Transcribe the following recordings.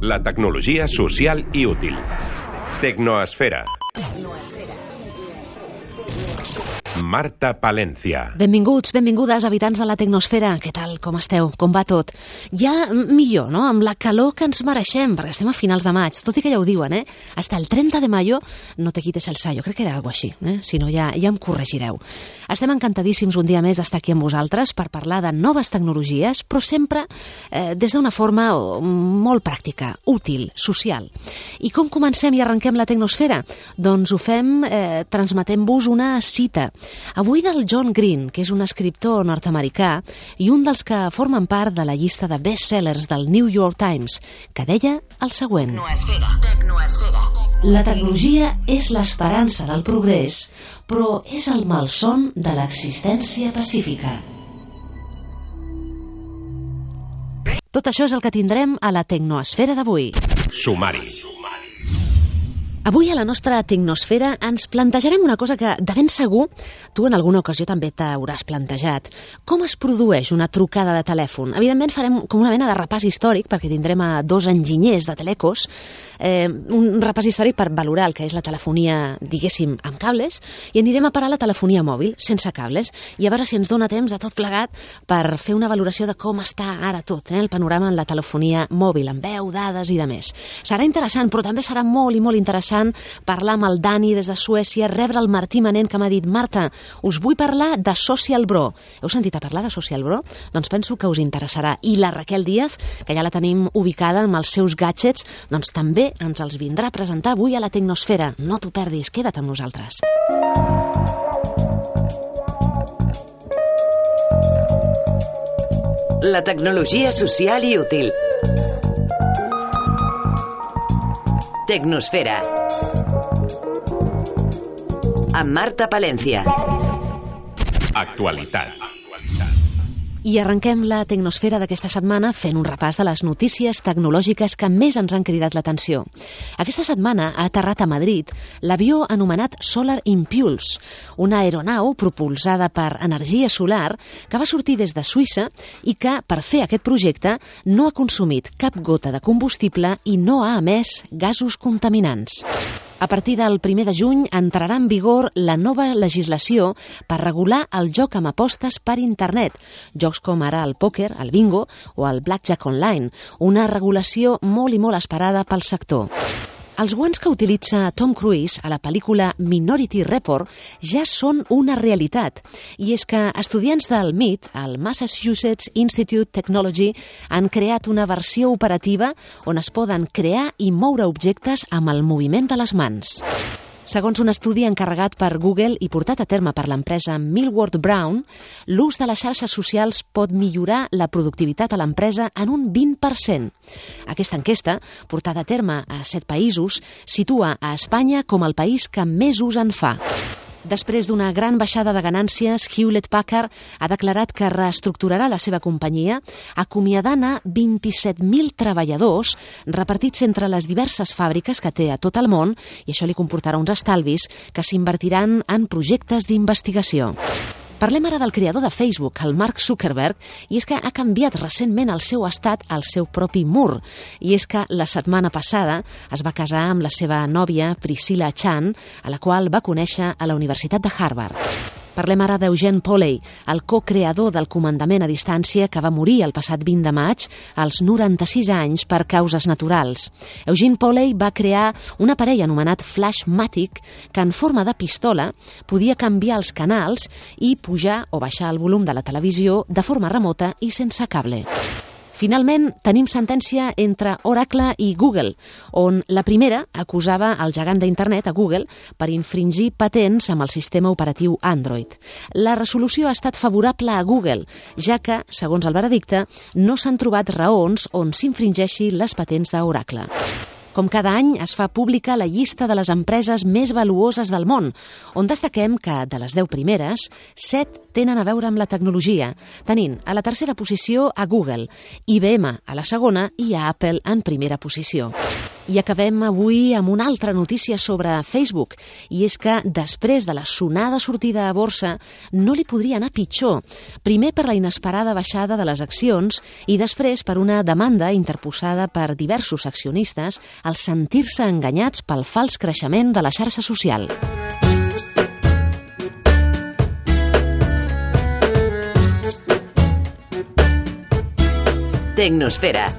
La tecnologia social i útil. Tecnoesfera. Marta Palencia. Benvinguts, benvingudes, habitants de la Tecnosfera. Què tal, com esteu? Com va tot? Ja millor, no?, amb la calor que ens mereixem, perquè estem a finals de maig, tot i que ja ho diuen, Hasta el 30 de mayo no te quites el sayo. Crec que era alguna cosa així, Si no, ja em corregireu. Estem encantadíssims un dia més d'estar aquí amb vosaltres per parlar de noves tecnologies, però sempre des d'una forma molt pràctica, útil, social. I com comencem i arrenquem la Tecnosfera? Doncs ho fem transmetent-vos una cita. Avui del John Green, que és un escriptor nord-americà i un dels que formen part de la llista de best-sellers del New York Times, que deia el següent: Tecnoesfera. La tecnologia és l'esperança del progrés, però és el malson de l'existència pacífica. Tot això és el que tindrem a la Tecnoesfera d'avui. Sumari. Avui a la nostra Tecnosfera ens plantejarem una cosa que de ben segur tu en alguna ocasió també t'hauràs plantejat. Com es produeix una trucada de telèfon? Evidentment farem com una mena de repàs històric, perquè tindrem a dos enginyers de Telecos, un repàs històric per valorar el que és la telefonia, diguéssim, amb cables, i anirem a parar la telefonia mòbil, sense cables, i a veure si ens dona temps de tot plegat per fer una valoració de com està ara tot, el panorama en la telefonia mòbil, amb veu, dades i de més. Serà interessant, però també serà molt i molt interessant parlar amb el Dani des de Suècia, rebre el Martí Manent, que m'ha dit: Marta, us vull parlar de Social Bro. Heu sentit a parlar de Social Bro? Doncs penso que us interessarà. I la Raquel Díaz, que ja la tenim ubicada amb els seus gadgets, doncs també ens els vindrà a presentar avui a la Tecnosfera. No t'ho perdis, queda't amb nosaltres. La tecnologia social i útil. Tecnosfera. Amb Marta Palencia. Actualitat. I arrenquem la Tecnosfera d'aquesta setmana fent un repàs de les notícies tecnològiques que més ens han cridat l'atenció. Aquesta setmana ha aterrat a Madrid l'avió anomenat Solar Impulse, una aeronau propulsada per energia solar que va sortir des de Suïssa i que, per fer aquest projecte, no ha consumit cap gota de combustible i no ha emès gasos contaminants. A partir del 1 de juny entrarà en vigor la nova legislació per regular el joc amb apostes per internet, jocs com ara el pòquer, el bingo o el blackjack online, una regulació molt i molt esperada pel sector. Els guants que utilitza Tom Cruise a la pel·lícula Minority Report ja són una realitat, i és que estudiants del MIT, el Massachusetts Institute Technology, han creat una versió operativa on es poden crear i moure objectes amb el moviment de les mans. Segons un estudi encarregat per Google i portat a terme per l'empresa Millward Brown, l'ús de les xarxes socials pot millorar la productivitat a l'empresa en un 20%. Aquesta enquesta, portada a terme a 7 països, situa a Espanya com el país que més ús en fa. Després d'una gran baixada de ganàncies, Hewlett-Packard ha declarat que reestructurarà la seva companyia, acomiadant a 27.000 treballadors repartits entre les diverses fàbriques que té a tot el món, i això li comportarà uns estalvis que s'invertiran en projectes d'investigació. Parlem ara del creador de Facebook, el Mark Zuckerberg, i és que ha canviat recentment el seu estat al seu propi mur. I és que la setmana passada es va casar amb la seva nòvia, Priscilla Chan, a la qual va conèixer a la Universitat de Harvard. Parlem ara d'Eugene Poley, el co-creador del comandament a distància que va morir el passat 20 de maig als 96 anys per causes naturals. Eugene Poley va crear un aparell anomenat Flashmatic que en forma de pistola podia canviar els canals i pujar o baixar el volum de la televisió de forma remota i sense cable. Finalment, tenim sentència entre Oracle i Google, on la primera acusava el gegant d'internet, a Google, per infringir patents amb el sistema operatiu Android. La resolució ha estat favorable a Google, ja que, segons el veredicte, no s'han trobat raons on s'infringeixi les patents d'Oracle. Com cada any, es fa pública la llista de les empreses més valuoses del món, on destaquem que, de les 10 primeres, 7 tenen a veure amb la tecnologia, tenint a la tercera posició a Google, IBM a la segona i a Apple en primera posició. I acabem avui amb una altra notícia sobre Facebook, i és que després de la sonada sortida a borsa no li podria anar pitjor. Primer per la inesperada baixada de les accions i després per una demanda interposada per diversos accionistes al sentir-se enganyats pel fals creixement de la xarxa social. Tecnosfera.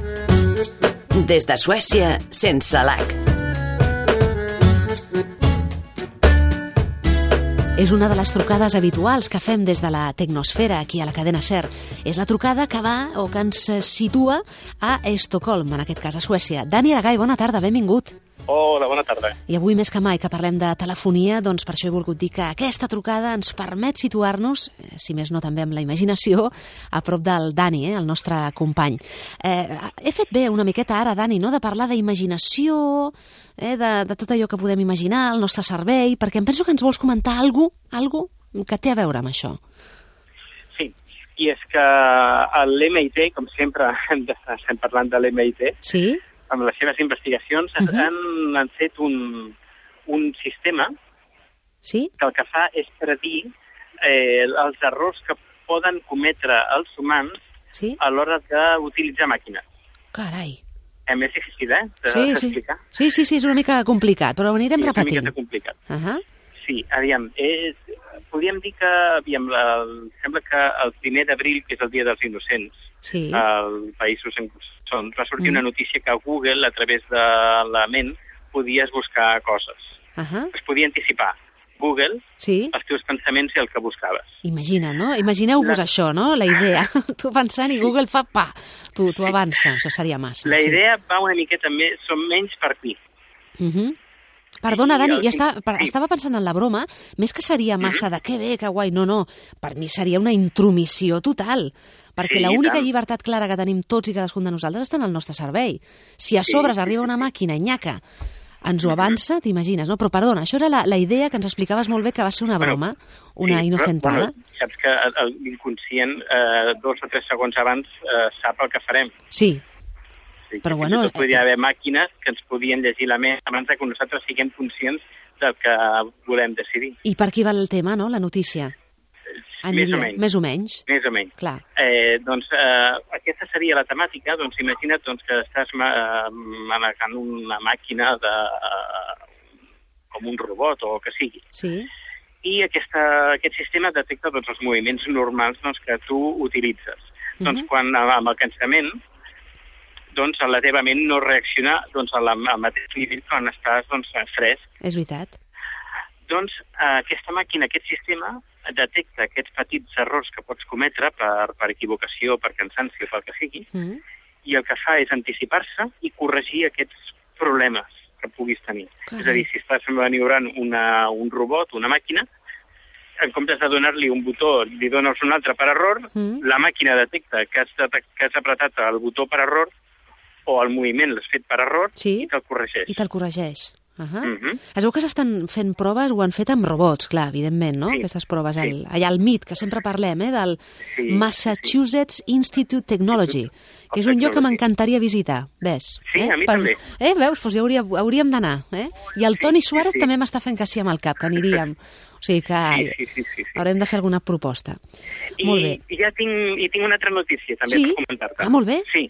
Des de Suècia, sense l'H. És una de les trucades habituals que fem des de la Tecnosfera, aquí a la cadena SER. És la trucada que va o que ens situa a Estocolm, en aquest cas a Suècia. Dani Aragay, bona tarda, benvingut. Hola, bona tarda. I avui més que mai que parlem de telefonia, doncs per això he volgut dir que aquesta trucada ens permet situar-nos, si més no també amb la imaginació, a prop del Dani, el nostre company. He fet bé una miqueta ara, Dani, no?, de parlar d'imaginació, de tot allò que podem imaginar, el nostre cervell, perquè em penso que ens vols comentar alguna que té a veure amb això. Sí, i és que l'MIT, com sempre estem parlant de l'MIT, sí? Amb les seves investigacions, han fet un sistema sí? que el que fa és predir els errors que poden cometre els humans sí? a l'hora d'utilitzar màquines. Carai. És difícil, d'explicar? Sí, és una mica complicat, però ho anirem repetint. És una mica complicat. Sí, aviam, podríem dir que, sembla que el 1 d'abril, que és el Dia dels Innocents, sí. als països on va sortir una notícia que a Google, a través de la ment, podies buscar coses. Es podia anticipar Google, sí. els teus pensaments i el que buscaves. Imagina, no? Imagineu-vos això, no?, la idea. Tu pensant i Google fa pa. Tu avança, això seria massa. La idea va una miqueta més, són menys per aquí. Perdona, Dani, estava pensant en la broma, més que seria massa de que bé, que guai, no, per mi seria una intromissió total, perquè l'única llibertat clara que tenim tots i cadascun de nosaltres està en el nostre cervell. Si a sobres arriba una màquina i nyaca, ens ho avança, t'imagines, no? Però perdona, això era la idea que ens explicaves molt bé, que va ser una broma, una inocentada. Saps que l'inconscient, 2 o 3 segons abans, sap el que farem. Sí. Però bueno, podria haver màquines que ens podien llegir la ment abans que nosaltres siguem conscients del que volem decidir. I per aquí va el tema, no?, la notícia? Més o menys. Clar. Aquesta seria la temàtica. Doncs imagina't que estàs manejant una màquina com un robot o el que sigui. Sí. I aquest sistema detecta els moviments normals que tu utilitzes. Doncs quan amb el cansament la teva ment no reacciona al mateix nivell quan estàs fresc. És veritat. Doncs aquesta màquina, aquest sistema, detecta aquests petits errors que pots cometre per equivocació, per cansanci o pel que sigui, i el que fa és anticipar-se i corregir aquests problemes que puguis tenir. És a dir, si estàs maniobrant un robot, una màquina, en comptes de donar-li un botó, li dones un altre per error, la màquina detecta que has apretat el botó per error o el moviment l'has fet per error i te'l corregeix. Es veu que s'estan fent proves, ho han fet amb robots, clar, evidentment, no? Aquestes proves, allà al MIT, que sempre parlem, del Massachusetts Institute Technology, que és un lloc que m'encantaria visitar, ves? Sí, a mi també. Veus, doncs hauríem d'anar, I el Toni Suárez també m'està fent que sí amb el cap, que aniríem. O sigui que haurem de fer alguna proposta. Molt bé. I tinc una altra notícia també per comentar-te. Molt bé. Sí.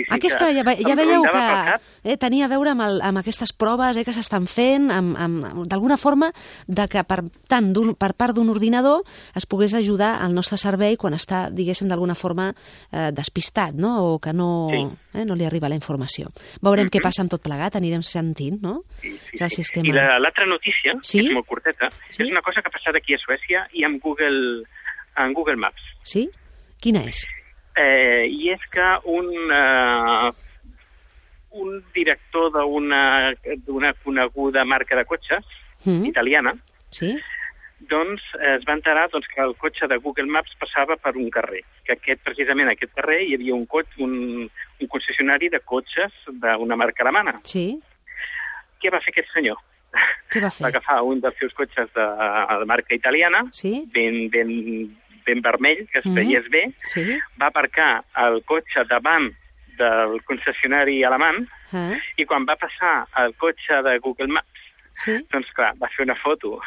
Aquesta, ja veieu que tenia a veure amb aquestes proves que s'estan fent, d'alguna forma, que per part d'un ordinador es pogués ajudar al nostre cervell quan està, diguéssim, d'alguna forma despistat, no? O que no li arriba la informació. Veurem què passa amb tot plegat, anirem sentint, no? És el sistema. I l'altra notícia, que és molt curteta, és una cosa que ha passat aquí a Suècia i amb Google Maps. Sí? Quina és? I és que un director d'una coneguda marca de cotxes italiana doncs es va enterar que el cotxe de Google Maps passava per un carrer, que precisament aquest carrer hi havia un concessionari de cotxes d'una marca alemana. Sí. Què va fer aquest senyor? Què va fer? Va agafar un dels seus cotxes de marca italiana, ben vermell, que es veiés bé, va aparcar el cotxe davant del concessionari alemany, i quan va passar el cotxe de Google Maps, doncs clar, va fer una foto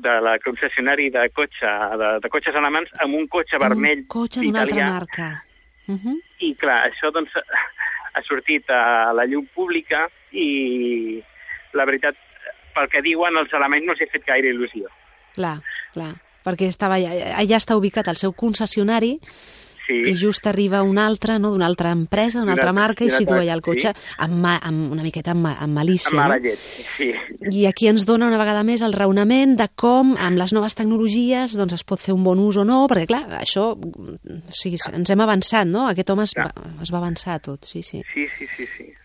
de la concessionari de cotxes alemans amb un cotxe vermell italià. Un cotxe d'una altra marca. I clar, això doncs ha sortit a la llum pública i la veritat, pel que diuen els alemanys no s'ha fet gaire il·lusió. Clar, perquè allà està ubicat el seu concessionari i just arriba un altre, no?, d'una altra empresa, d'una altra marca, i situa allà el cotxe amb una miqueta amb malícia. Amb mala llet, sí. I aquí ens dona una vegada més el raonament de com, amb les noves tecnologies, doncs es pot fer un bon ús o no, perquè clar, això, o sigui, ens hem avançat, no? Aquest home es va avançar tot, sí. Sí.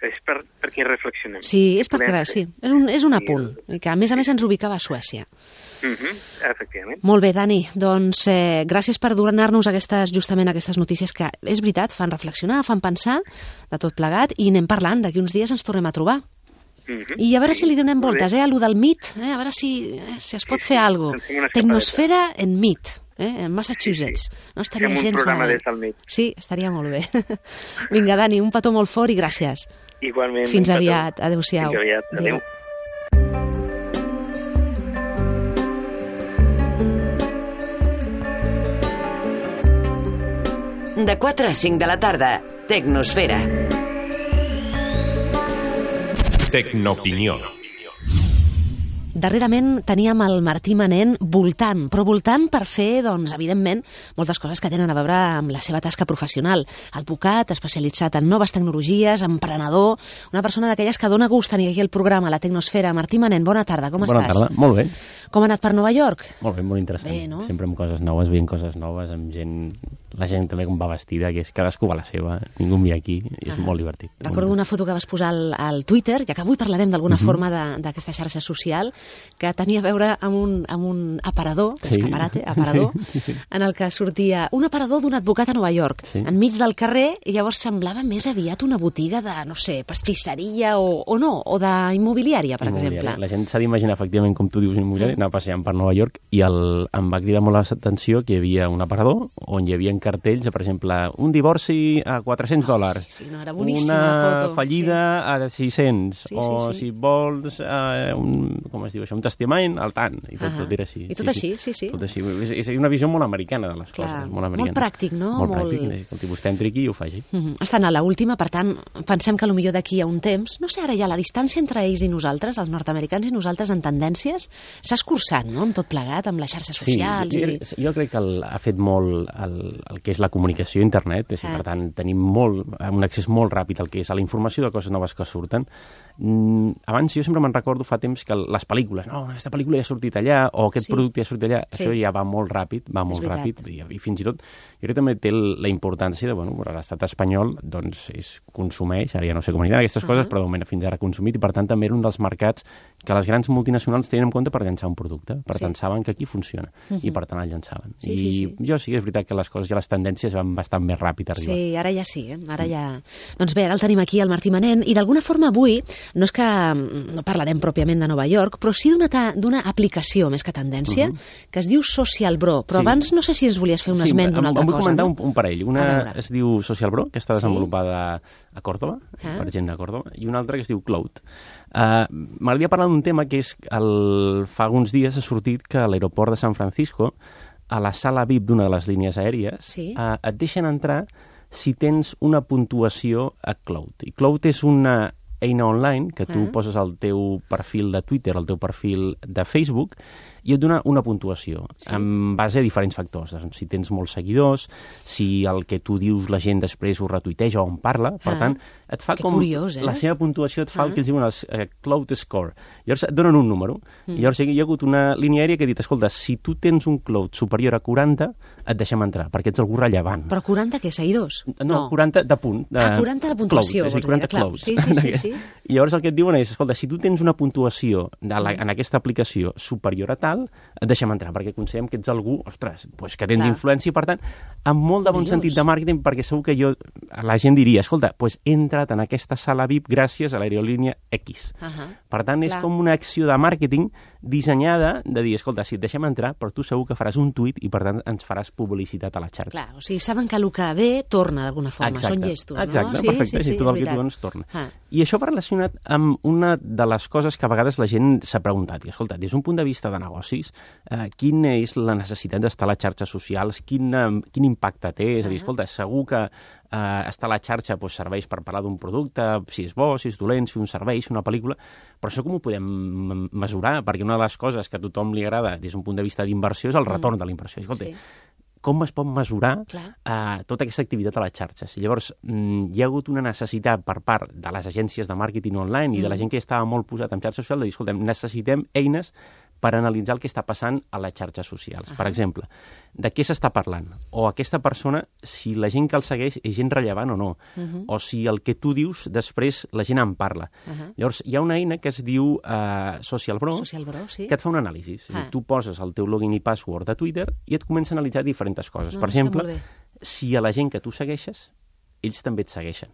És perquè reflexionem. Sí, és perquè, sí, és un apunt, que a més ens ubicava a Suècia. Efectivament. Molt bé, Dani, doncs gràcies per donar-nos justament aquestes notícies que, és veritat, fan reflexionar, fan pensar de tot plegat, i anem parlant, d'aquí uns dies ens tornem a trobar. I a veure si li donem voltes, a lo del MIT, a veure si es pot fer alguna cosa. Tecnosfera en MIT, en Massachusetts. No estaria gens malament. Sí, estaria molt bé. Vinga, Dani, un petó molt fort i gràcies. Igualment. Fins aviat. Adéu-siau. Fins aviat. Adéu. De 4 a 5 de la tarda, Tecnosfera. Tecnopinió. Darrerament teníem el Martí Manent voltant per fer, doncs, evidentment, moltes coses que tenen a veure amb la seva tasca professional. Advocat, especialitzat en noves tecnologies, emprenedor, una persona d'aquelles que dona gust tenir aquí el programa, la Tecnosfera. Martí Manent, bona tarda, com estàs? Bona tarda, molt bé. Com ha anat per Nova York? Molt bé, molt interessant. Bé, no? Sempre amb coses noves, veient coses noves, amb gent, la gent també com va vestida, que és cadascú va a la seva, ningú mira aquí, i és molt divertit. Recordo una foto que vas posar al Twitter, ja que avui parlarem d'alguna forma d'aquesta xarxa social, que tenia a veure amb un aparador, aparador, en el que sortia un aparador d'un advocat a Nova York, enmig del carrer, i llavors semblava més aviat una botiga de, no sé, pastisseria o d'immobiliària, per exemple. La gent s'ha d'imaginar, efectivament, com tu dius, immobiliària, anar passejant per Nova York, i em va cridar molt l'atenció que hi havia un aparador on hi havia cartells, per exemple, un divorci a $400, era boníssima la foto. Una fallida a 600, si vols, com es diu això, un testament al tant, i tot era així. I tot així, sí. Tot així. És una visió molt americana de les coses. Molt pràctic, no? Molt pràctic, que vostè entri aquí i ho faci. Estan a l'última, per tant, pensem que potser d'aquí a un temps, no sé, ara ja la distància entre ells i nosaltres, els nord-americans i nosaltres en tendències, s'ha escurçat, no?, amb tot plegat, amb les xarxes socials. Jo crec que ha fet molt el que és la comunicació a internet, per tant, tenim un accés molt ràpid al que és a la informació de coses noves que surten. Abans jo sempre me'n recordo fa temps que les pel·lícules, aquesta pel·lícula ja ha sortit allà, o aquest producte ja ha sortit allà, això ja va molt ràpid, i fins i tot jo crec que també té la importància de, l'estat espanyol, doncs, consumeix, ara ja no sé com aniran aquestes coses, però de moment fins ara ha consumit, i per tant també era un dels mercats que les grans multinacionals tenen en compte per llançar un producte, per tant saben que aquí funciona, i per tant el llançaven. I jo sí que és veritat que les coses i les tendències van bastant més ràpid a arribar. Sí, ara ja sí, ara ja... Doncs bé, ara el tenim aquí, el Martí Manent, i d'alguna forma avui, no és que no parlarem pròpiament de Nova York, però sí d'una aplicació més que tendència, que es diu Social Bro, però abans no sé si ens volies fer un esment d'una altra cosa. Vull comentar un parell. Una es diu Social Bro, que està desenvolupada a Còrdova, per gent de Còrdova, i una altra que es diu Cloud. M'agradaria parlar d'un tema que és fa uns dies ha sortit que a l'aeroport de San Francisco, a la sala VIP d'una de les línies aèries, et deixen entrar si tens una puntuació a Cloud. I Cloud és una eina online que tu poses al teu perfil de Twitter, al teu perfil de Facebook, i et dona una puntuació en base a diferents factors. Si tens molts seguidors, si el que tu dius la gent després ho retuiteja o en parla, per tant, et fa com... Curiós, la seva puntuació et fa el que ells diuen els Cloud Score. Llavors et donen un número. Llavors hi ha hagut una línia aèria que ha dit, escolta, si tu tens un Cloud superior a 40, et deixem entrar, perquè ets algú rellevant. Però 40 què, seguidors? No, 40 de punt. 40 de puntuació. És a dir, 40 Clouds. Sí. I llavors el que et diuen és, escolta, si tu tens una puntuació en aquesta aplicació superior a tal, social, et deixem entrar, perquè considerem que ets algú, ostres, pues que tens influència, i per tant, amb molt de bon sentit de màrqueting, perquè segur que la gent diria, escolta, pues he entrat en aquesta sala VIP gràcies a l'aerolínia X. Per tant, és com una acció de màrqueting dissenyada de dir, escolta, si et deixem entrar, però tu segur que faràs un tuit i per tant ens faràs publicitat a la xarxa. Clar, o sigui, saben que el que ve torna d'alguna forma, són llestos, no? Exacte, perfecte, si tot el que tu dones torna. I això va relacionat amb una de les coses que a vegades la gent s'ha preguntat, i escolta, des d'un punt de vista de negocis, quina és la necessitat d'estar a les xarxes socials, quin impacte té, és a dir, escolta, segur que estar a la xarxa serveix per parlar d'un producte, si és bo, si és dolent, si un servei, si una pel·lícula, però això com ho podem mesurar? Perquè una de les coses que a tothom li agrada des d'un punt de vista d'inversió és el retorn de la inversió. Escolta, com es pot mesurar tota aquesta activitat a les xarxes? I llavors, hi ha hagut una necessitat per part de les agències de màrqueting online i de la gent que estava molt posat en xarxes socials de dir, escoltem, necessitem eines per analitzar el que està passant a les xarxes socials. Per exemple, de què s'està parlant? O aquesta persona, si la gent que el segueix és gent rellevant o no. O si el que tu dius, després la gent en parla. Llavors, hi ha una eina que es diu Social Bro, que et fa un anàlisi. Tu poses el teu login i password de Twitter i et comença a analitzar diferents coses. Per exemple, si a la gent que tu segueixes, ells també et segueixen.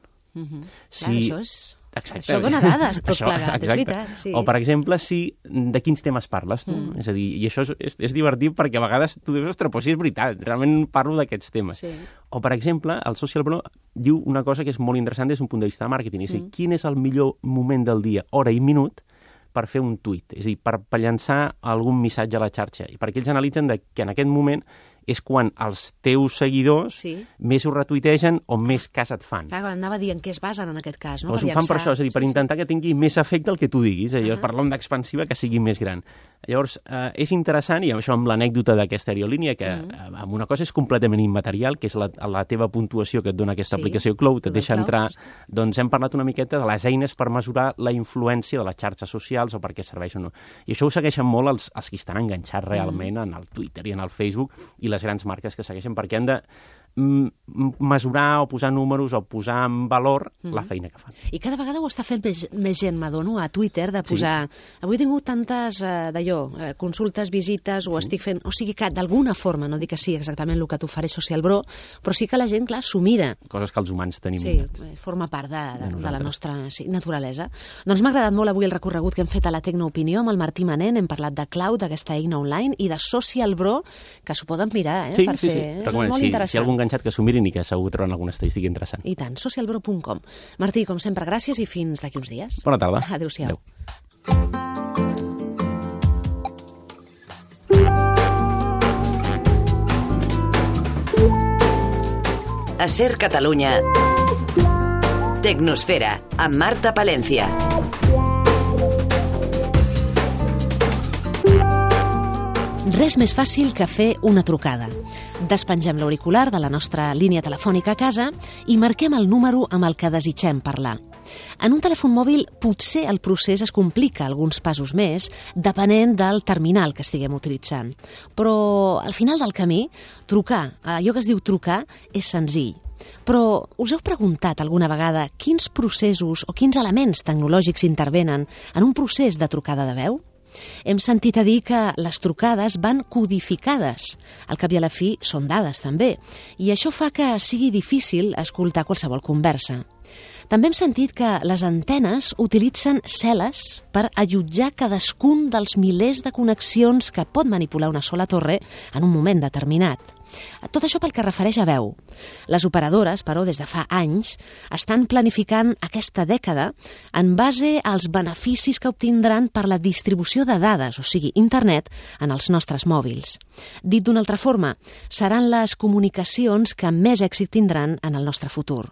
Clar, això dona dades, tot plegat, és veritat. O, per exemple, de quins temes parles tu. És a dir, i això és divertit perquè a vegades tu dius, ostres, però sí és veritat, realment parlo d'aquests temes. O, per exemple, el Social Bro diu una cosa que és molt interessant des d'un punt de vista de màrqueting, és a dir, quin és el millor moment del dia, hora i minut, per fer un tuit, és a dir, per llançar algun missatge a la xarxa, i perquè ells analitzen que en aquest moment és quan els teus seguidors més ho retuitegen o més cas et fan. Clar, anava a dir en què es basen en aquest cas, no? Ho fan per això, és a dir, per intentar que tingui més efecte el que tu diguis, per l'onda expansiva que sigui més gran. Llavors, és interessant, i això amb l'anècdota d'aquesta aerolínia, que amb una cosa és completament immaterial, que és la teva puntuació que et dona aquesta aplicació Cloud, et deixa entrar, doncs hem parlat una miqueta de les eines per mesurar la influència de les xarxes socials o per què serveix o no. I això ho segueixen molt els que estan enganxats realment en el Twitter i en el Facebook i les grans marques que segueixen, perquè han de mesurar o posar números o posar en valor la feina que fan. I cada vegada ho està fent més gent, m'adono, a Twitter, de posar avui he tingut tantes consultes, visites, ho estic fent, o sigui que d'alguna forma, no dic que sí exactament el que t'ofereix Social Bro, però sí que la gent, clar, s'ho mira. Coses que els humans tenim. Sí, forma part de la nostra naturalesa. Doncs m'ha agradat molt avui el recorregut que hem fet a la Tecnoopinió amb el Martí Manent, hem parlat de Cloud, d'aquesta eina online, i de Social Bro, que s'ho poden mirar, per fer. És molt interessant. Si hi ha algun enganxat que s'ho mirin i que segur troben alguna estadística interessant. I tant, socialbro.com. Martí, com sempre, gràcies i fins d'aquí uns dies. Bona tarda. Adéu-siau. A Ser Catalunya, Tecnosfera, amb Marta Palencia. Res més fàcil que fer una trucada. Despengem l'auricular de la nostra línia telefònica a casa i marquem el número amb el que desitgem parlar. En un telèfon mòbil potser el procés es complica alguns passos més depenent del terminal que estiguem utilitzant. Però al final del camí, trucar, allò que es diu trucar, és senzill. Però us heu preguntat alguna vegada quins processos o quins elements tecnològics intervenen en un procés de trucada de veu? Hem sentit a dir que les trucades van codificades. Al cap i a la fi són dades també, i això fa que sigui difícil escoltar qualsevol conversa. També hem sentit que les antenes utilitzen cel·les per allotjar cadascun dels milers de connexions que pot manipular una sola torre en un moment determinat. Tot això pel que refereix a veu. Les operadores, però, des de fa anys, estan planificant aquesta dècada en base als beneficis que obtindran per la distribució de dades, o sigui, internet, en els nostres mòbils. Dit d'una altra forma, seran les comunicacions que més èxit tindran en el nostre futur.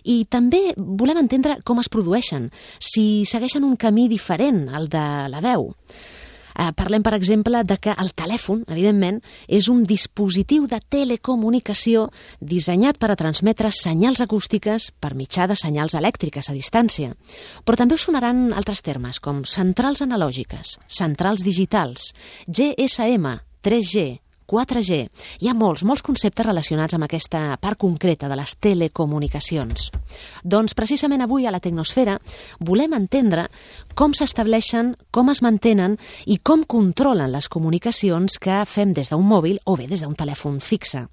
I també volem entendre com es produeixen, si segueixen un camí diferent al de la veu. Parlem, per exemple, de que el telèfon, evidentment, és un dispositiu de telecomunicació dissenyat per a transmetre senyals acústiques per mitjà de senyals elèctriques a distància. Però també us sonaran altres termes, com centrals analògiques, centrals digitals, GSM, 3G, 4G. Hi ha molts conceptes relacionats amb aquesta part concreta de les telecomunicacions. Doncs precisament avui a la Tecnosfera volem entendre com s'estableixen, com es mantenen i com controlen les comunicacions que fem des d'un mòbil o bé des d'un telèfon fixe.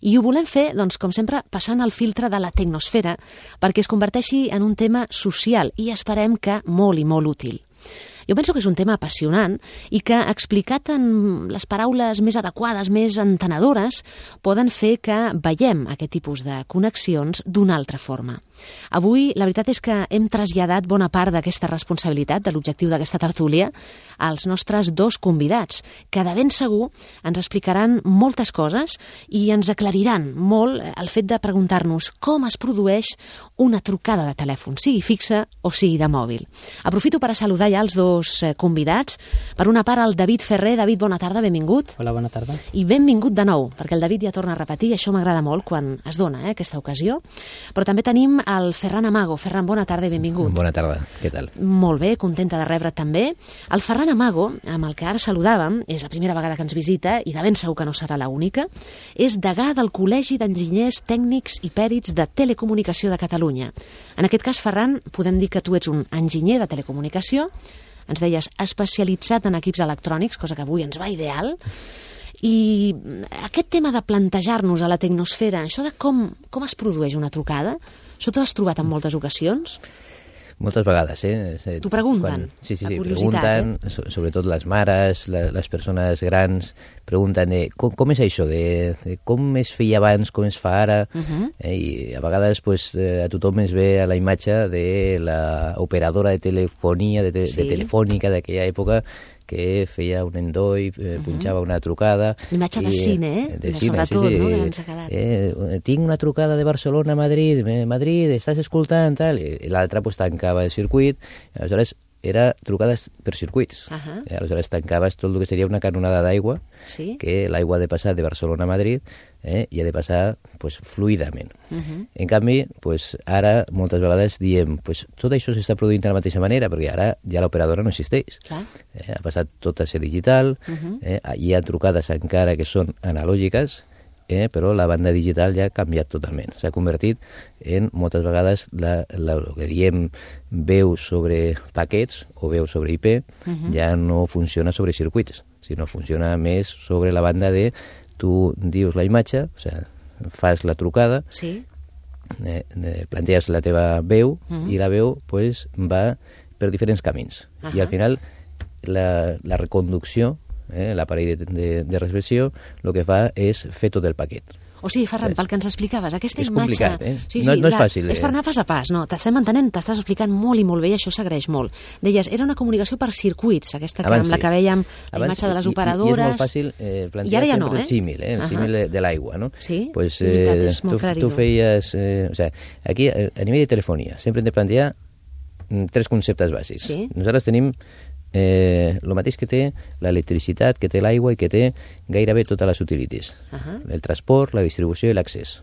I ho volem fer, doncs, com sempre, passant el filtre de la Tecnosfera perquè es converteixi en un tema social i esperem que molt i molt útil. Jo penso que és un tema apassionant i que, explicat en les paraules més adequades, més entenedores, poden fer que veiem aquest tipus de connexions d'una altra forma. Avui, la veritat és que hem traslladat bona part d'aquesta responsabilitat, de l'objectiu d'aquesta tertúlia, als nostres dos convidats, que de ben segur ens explicaran moltes coses i ens aclariran molt el fet de preguntar-nos com es produeix una trucada de telèfon, sigui fixa o sigui de mòbil. Aprofito per a saludar ja els dos convidats. Per una part, el David Ferrer. David, bona tarda, benvingut. Hola, bona tarda. I benvingut de nou, perquè el David ja torna a repetir, i això m'agrada molt quan es dona aquesta ocasió. Però també tenim el Ferran Amago. Ferran, bona tarda i benvingut. Bona tarda, què tal? Molt bé, contenta de rebre't també. El Ferran Amago, amb el que ara saludàvem, és la primera vegada que ens visita, i de ben segur que no serà l'única, és degà del Col·legi d'Enginyers Tècnics i Pèrits de Telecomunicació de Catalunya. En aquest cas, Ferran, podem dir que tu ets un enginyer de telecomunicació, ens deies especialitzat en equips electrònics, cosa que avui ens va ideal, i aquest tema de plantejar-nos a la Tecnosfera, això de com es produeix una trucada, això t'ho has trobat en moltes ocasions? Moltes vegades, T'ho pregunten? Sí, pregunten, sobretot les mares, les persones grans, pregunten com és això, de com es feia abans, com es fa ara, i a vegades a tothom es ve a la imatge de l'operadora de telefonia, de telefònica d'aquella època, que feia un endoi, punxava una trucada... Imatge de cine, sobretot, no?, que ens ha quedat. Tinc una trucada de Barcelona a Madrid, estàs escoltant, tal... I l'altre tancava el circuit, aleshores era trucades per circuits. Aleshores tancaves tot el que seria una canonada d'aigua, que l'aigua ha de passar de Barcelona a Madrid i ha de passar fluidament. En canvi, ara moltes vegades diem tot això s'està produint de la mateixa manera, perquè ara ja l'operadora no existeix. Ha passat tot a ser digital, hi ha trucades encara que són analògiques, però la banda digital ja ha canviat totalment. S'ha convertit en, moltes vegades, el que diem veu sobre paquets o veu sobre IP, ja no funciona sobre circuits, sinó funciona més sobre la banda de tu dius la imatge, o sigui, fas la trucada, planteges la teva veu i la veu va per diferents camins. I al final la reconducció, l'aparell de recepció, el que fa és fer tot el paquet. O sigui, Ferran, pel que ens explicaves, aquesta és imatge... És complicat, no és fàcil. És per anar pas a pas, no? T'estem entenent, t'estàs explicant molt i molt bé i això s'agraeix molt. Deies, era una comunicació per circuits, aquesta amb la que vèiem la imatge de les operadores... I és molt fàcil plantejar sempre el símil, el símil de l'aigua, no? Sí, veritat, és molt clariu. Tu feies... Aquí, a nivell de telefonia, sempre hem de plantejar 3 conceptes bàsics. Nosaltres tenim el mateix que té l'electricitat, que té l'aigua i que té gairebé totes les utilities. El transport, la distribució i l'accés.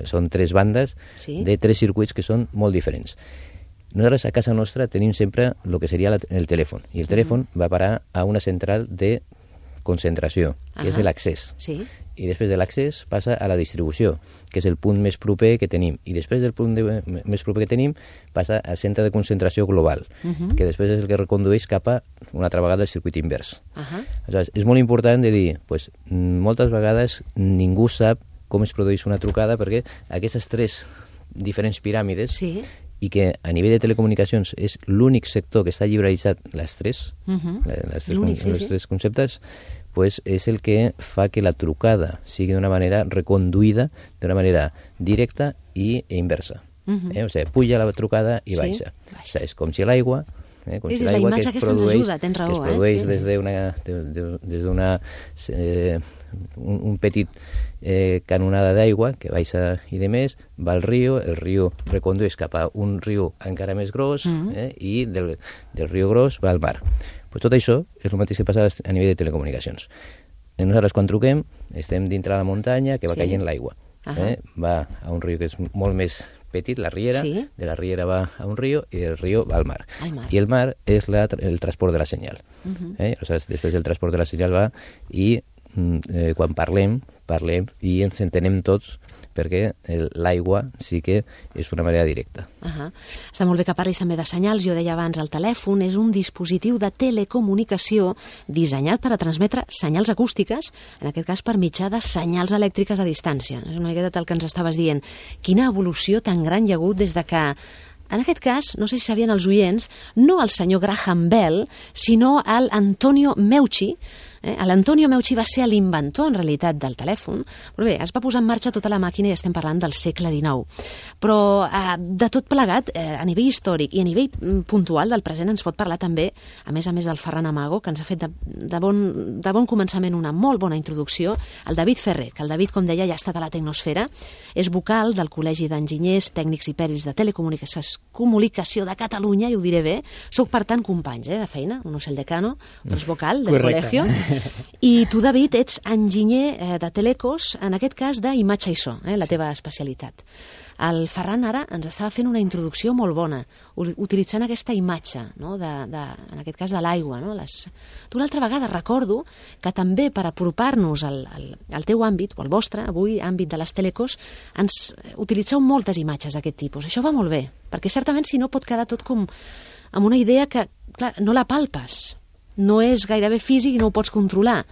Són 3 bandes de 3 circuits que són molt diferents. Nosaltres a casa nostra tenim sempre el que seria el telèfon, i el telèfon va parar a una central de concentració, que és l'accés. I després de l'accés passa a la distribució, que és el punt més proper que tenim. I després del punt més proper que tenim passa al centre de concentració global, que després és el que recondueix cap a una altra vegada el circuit invers. Aleshores, és molt important de dir, moltes vegades ningú sap com es produeix una trucada perquè aquestes 3 diferents piràmides i que a nivell de telecomunicacions és l'únic sector que està lliberalitzat els 3 conceptes, és el que fa que la trucada sigui d'una manera reconduïda, d'una manera directa i inversa. O sigui, puja la trucada i baixa. És com si l'aigua... És la imatge que ens ajuda, tens raó. Que es produeix des d'una un petit canonada d'aigua que baixa i de més, va al riu, el riu recondueix cap a un riu encara més gros i del riu gros va al mar. Tot això és el mateix que passa a nivell de telecomunicacions. Nosaltres quan truquem estem dintre la muntanya que va caient l'aigua. Va a un riu que és molt més petit, la riera, de la riera va a un riu i el riu va al mar. I el mar és el transport de la senyal. Després el transport de la senyal va i quan parlem i ens entenem tots, perquè l'aigua sí que és una manera directa. Està molt bé que parlis també de senyals. Jo deia abans, el telèfon és un dispositiu de telecomunicació dissenyat per a transmetre senyals acústiques, en aquest cas per mitjà de senyals elèctriques a distància. És una miqueta el que ens estaves dient. Quina evolució tan gran hi ha hagut des de que, en aquest cas, no sé si sabien els oients, no el senyor Graham Bell, sinó l'Antonio Meucci. L'Antonio Meucci va ser l'inventor, en realitat, del telèfon, però bé, es va posar en marxa tota la màquina i estem parlant del segle XIX. Però de tot plegat, a nivell històric i a nivell puntual del present, ens pot parlar també, a més del Ferran Amago, que ens ha fet de bon començament una molt bona introducció, el David Ferrer, que el David, com deia, ja ha estat a la Tecnosfera, és vocal del Col·legi d'Enginyers, Tècnics i Pèrits de Telecomunicació de Catalunya, i ho diré bé, sóc per tant companys de feina, uno és el decano, otro és vocal del col·legio. I tu, David, ets enginyer de telecos, en aquest cas d'imatge i so, la teva especialitat. El Ferran ara ens estava fent una introducció molt bona, utilitzant aquesta imatge, no? En aquest cas de l'aigua. No? Tu l'altra vegada recordo que també per apropar-nos al teu àmbit, o al vostre, avui, àmbit de les telecos, ens utilitzeu moltes imatges d'aquest tipus. Això va molt bé, perquè certament si no pot quedar tot com amb una idea que, clar, no la palpes. No és gairebé físic i no ho pots controlar.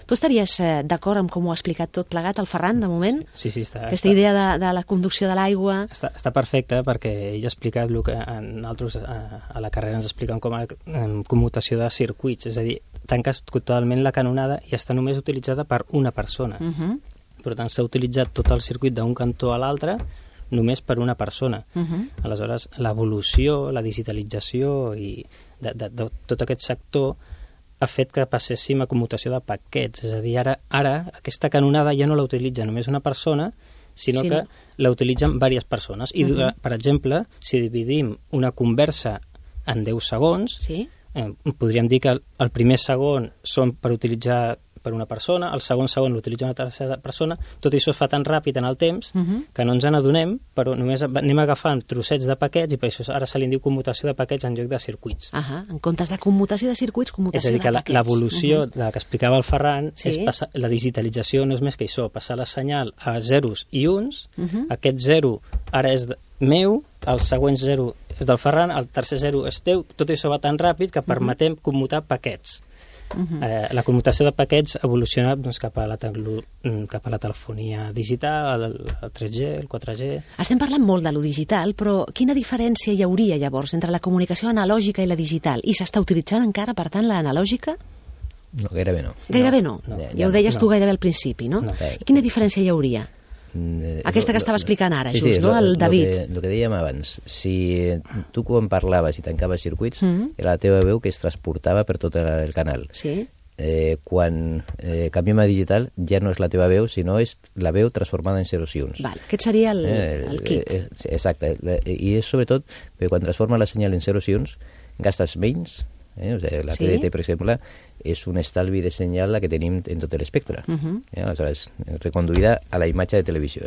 Tu estaries d'acord amb com ho ha explicat tot plegat el Ferran, de moment? Sí, està. Aquesta idea de la conducció de l'aigua... Està perfecte, perquè ell ha explicat el que nosaltres a la carrera ens expliquem com a commutació de circuits, és a dir, tanques totalment la canonada i està només utilitzada per una persona. Per tant, s'ha utilitzat tot el circuit d'un cantó a l'altre només per una persona. Aleshores, l'evolució, la digitalització i de tot aquest sector ha fet que passéssim a commutació de paquets. És a dir, ara aquesta canonada ja no la utilitza només una persona, sinó que la utilitzen diverses persones. I, per exemple, si dividim una conversa en 10 segons, podríem dir que el primer segon són per utilitzar per una persona, el segon l'utilitza una tercera persona, tot això es fa tan ràpid en el temps que no ens n'adonem, però només anem agafant trossets de paquets i per això ara se li diu commutació de paquets en lloc de circuits. En comptes de commutació de circuits, commutació de paquets. És a dir, que l'evolució de la que explicava el Ferran és passar, la digitalització no és més que això, passar la senyal a zeros i uns, aquest zero ara és meu, el següent zero és del Ferran, el tercer zero és teu, tot això va tan ràpid que permetem commutar paquets. La commutació de paquets ha evolucionat cap a la telefonia digital, el 3G, el 4G... Estem parlant molt de lo digital, però quina diferència hi hauria llavors entre la comunicació analògica i la digital? I s'està utilitzant encara, per tant, l'analògica? No, gairebé no. Gairebé no? Ja ho deies tu gairebé al principi, no? Quina diferència hi hauria? Aquesta que estava explicant ara, just, no? El David. El que dèiem abans, si tu quan parlaves i tancaves circuits, era la teva veu que es transportava per tot el canal. Sí. Quan canviem a digital ja no és la teva veu, sinó és la veu transformada en zeros i uns. Aquest seria el kit. Exacte. I és sobretot perquè quan transforma la senyal en zeros i uns gastes menys. La TDT, per exemple, és un estalvi de senyal que tenim en tot l'espectre. Aleshores, reconduïda a la imatge de televisió.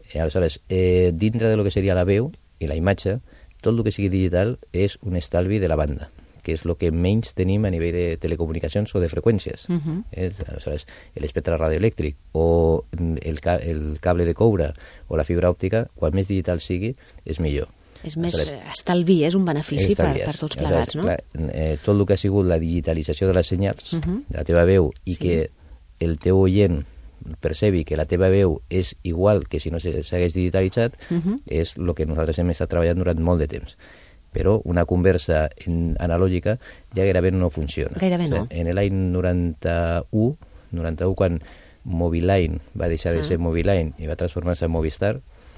Aleshores, dintre de lo que seria la veu i la imatge, tot el que sigui digital és un estalvi de la banda, que és el que menys tenim a nivell de telecomunicacions o de freqüències. Aleshores, l'espectre radioelèctric o el cable de coure o la fibra òptica, quan més digital sigui, és millor. És més estalvi, és un benefici per tots plegats, no? Clar, tot el que ha sigut la digitalització de les senyals, de la teva veu, i que el teu oient percebi que la teva veu és igual que si no s'hagués digitalitzat, és el que nosaltres hem estat treballant durant molt de temps. Però una conversa analògica ja gairebé no funciona. Gairebé no. En l'any 91, quan Moviline va deixar de ser Moviline i va transformar-se en Movistar,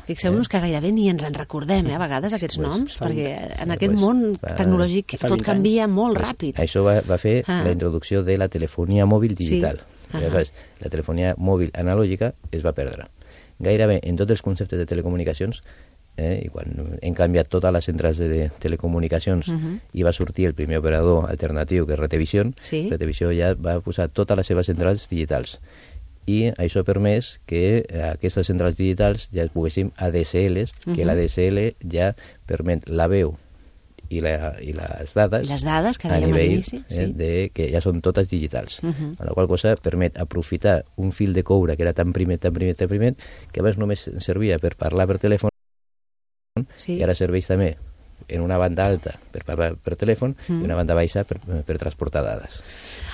fixeu-nos que gairebé ni ens en recordem, a vegades, aquests noms, perquè en aquest món tecnològic tot canvia molt ràpid. Això va fer la introducció de la telefonia mòbil digital. Llavors, la telefonia mòbil analògica es va perdre. Gairebé en tots els conceptes de telecomunicacions, i quan hem canviat totes les centrals de telecomunicacions i va sortir el primer operador alternatiu, que és Retevision, Retevision ja va posar totes les seves centrals digitals. I això ha permès que aquestes centrals digitals ja es poguéssim ADSLs, que l'ADSL ja permet la veu i les dades que dèiem a l'inici, que ja són totes digitals. La qual cosa permet aprofitar un fil de coure que era tan primet, que abans només servia per parlar per telèfon, i ara serveix també en una banda alta per parlar per telèfon i una banda baixa per transportar dades.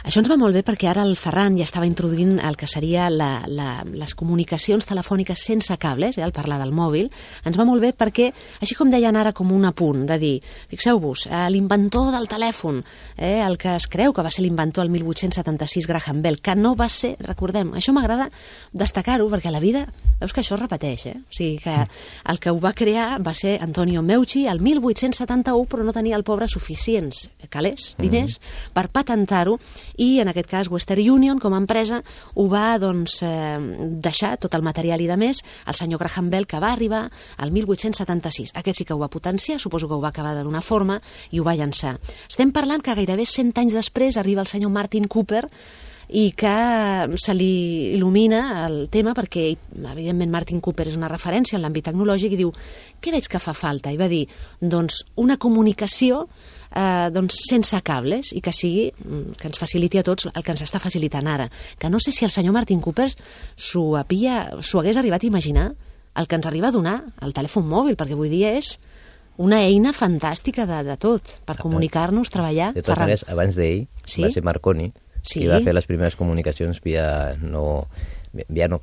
Això ens va molt bé perquè ara el Ferran ja estava introduint el que seria les comunicacions telefòniques sense cables, al parlar del mòbil. Ens va molt bé perquè, així com deien ara com un apunt, de dir, fixeu-vos, l'inventor del telèfon, el que es creu que va ser l'inventor el 1876, Graham Bell, que no va ser, recordem, això m'agrada destacar-ho perquè a la vida, veus que això es repeteix, o sigui que el que ho va crear va ser Antonio Meucci el 1871, però no tenia el pobre suficients calés, diners, per patentar-ho, i en aquest cas Western Union com a empresa ho va deixar tot el material i de més al senyor Graham Bell, que va arribar al 1876. Aquest sí que ho va potenciar, suposo que ho va acabar de donar forma i ho va llançar. Estem parlant que gairebé 100 anys després arriba el senyor Martin Cooper i que se li il·lumina el tema perquè, evidentment, Martin Cooper és una referència en l'àmbit tecnològic i diu, què veig que fa falta? I va dir, doncs, una comunicació sense cables i que sigui, que ens faciliti a tots el que ens està facilitant ara. Que no sé si el senyor Martin Cooper s'ho hagués arribat a imaginar el que ens arriba a donar el telèfon mòbil, perquè avui dia és una eina fantàstica de tot, per comunicar-nos, treballar. De totes maneres, abans d'ell va ser Marconi, qui va fer les primeres comunicacions via no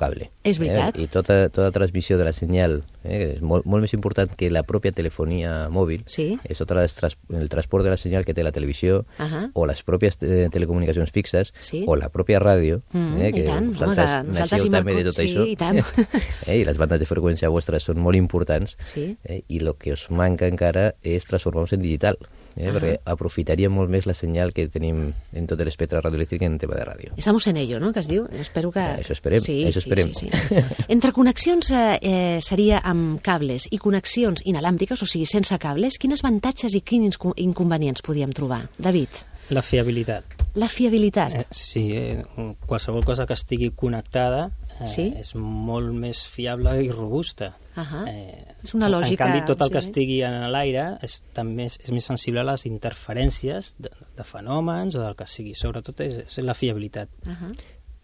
cable. És veritat. I tota transmissió de la senyal, que és molt més important que la pròpia telefonia mòbil, és tot el transport de la senyal que té la televisió, o les pròpies telecomunicacions fixes, o la pròpia ràdio, que vosaltres també de tot això. I les bandes de freqüència vostres són molt importants, i el que us manca encara és transformar-nos en digital. Perquè aprofitaríem molt més la senyal que tenim en tot l'espectre radioelèctric en tema de ràdio. Estamos en ello, ¿no?, que es diu. Espero que... Això esperem. Sí. Entre connexions seria amb cables i connexions inalàmbriques, o sigui, sense cables, quins avantatges i quins inconvenients podíem trobar? David? La fiabilitat. La fiabilitat. Sí, qualsevol cosa que estigui connectada és molt més fiable i robusta. És una lògica. En canvi, tot el que estigui en l'aire és més sensible a les interferències de fenòmens o del que sigui. Sobretot és la fiabilitat.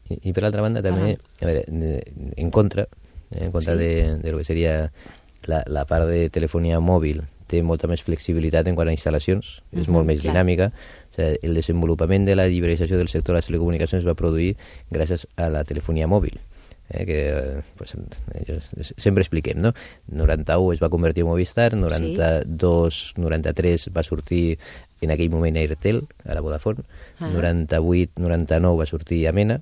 I per l'altra banda també, a veure, en contra de lo que seria la part de telefonia mòbil, té molta més flexibilitat en quant a instal·lacions, és molt més dinàmica. O sigui, el desenvolupament de la liberalització del sector de les telecomunicacions va produir gràcies a la telefonia mòbil, que sempre expliquem, no? 91 es va convertir en Movistar, 92, 93 va sortir en aquell moment Airtel, a la Vodafone, 98, 99 va sortir Amena,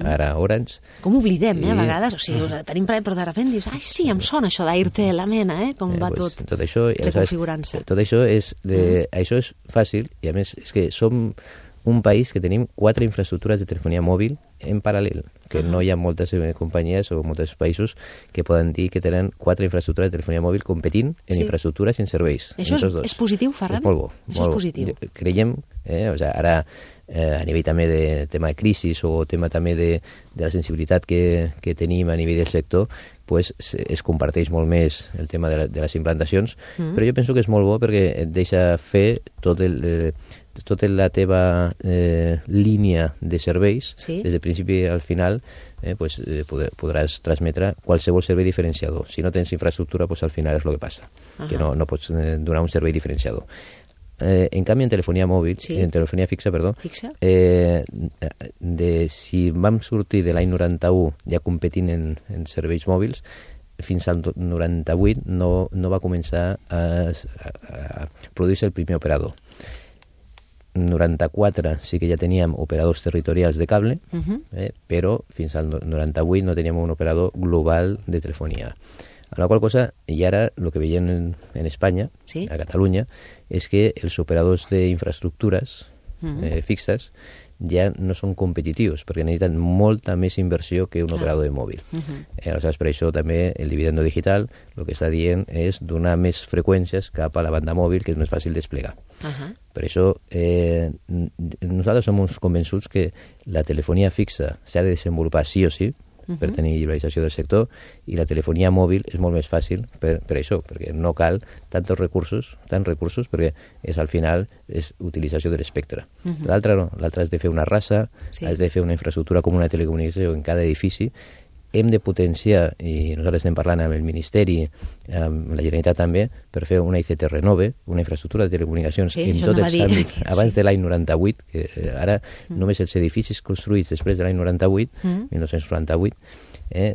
ara Orange. Com oblidem, a vegades, o sigui, tenim però de sobte dius, ai, sí, em sona això d'Airtel, Amena, com va tot reconfigurant-se. Tot això és fàcil, i a més és que som un país que tenim 4 infraestructures de telefonia mòbil en paral·lel, que no hi ha moltes companyies o molts països que poden dir que tenen 4 infraestructures de telefonia mòbil competint en infraestructures i en serveis. Això és positiu, Ferran? És molt bo. Això és positiu. Creiem, ara a nivell també de tema de crisi o tema també de la sensibilitat que tenim a nivell del sector, pues es comparteix molt més el tema de les implantacions, però jo penso que és molt bo perquè et deixa fer tota la teva línia de serveis, des del principi al final, podràs transmetre qualsevol servei diferenciador. Si no tens infraestructura, pues al final és el que passa, que no pots donar un servei diferenciador. En canvi, en telefonia mòbil, en telefonia fixa, si vam sortir de l'any 91 ja competint en serveis mòbils, fins al 98 no va començar a produir-se el primer operador. 94 sí que ja teníem operadors territorials de cable, però fins al 98 no teníem un operador global de telefonia. A la qual cosa, i ara el que veiem en Espanya, a Catalunya, és que els operadors d'infraestructures fixes ja no són competitius, perquè necessiten molta més inversió que un operador de mòbil. Aleshores, per això també el dividendo digital el que està dient és donar més freqüències cap a la banda mòbil, que és més fàcil desplegar. Per això nosaltres som uns convençuts que la telefonia fixa s'ha de desenvolupar sí o sí, per tenir liberalització del sector, i la telefonia mòbil és molt més fàcil per això, perquè no cal tants recursos, perquè al final és utilització de l'espectre. L'altre no, l'altre has de fer una raça, has de fer una infraestructura comuna de telecomunicació en cada edifici. Hem de potenciar, i nosaltres estem parlant amb el Ministeri, amb la Generalitat també, per fer una ICT Renove, una infraestructura de telecomunicacions en tots els àmbits, abans de l'any 98, que ara només els edificis construïts després de l'any 98, 1998,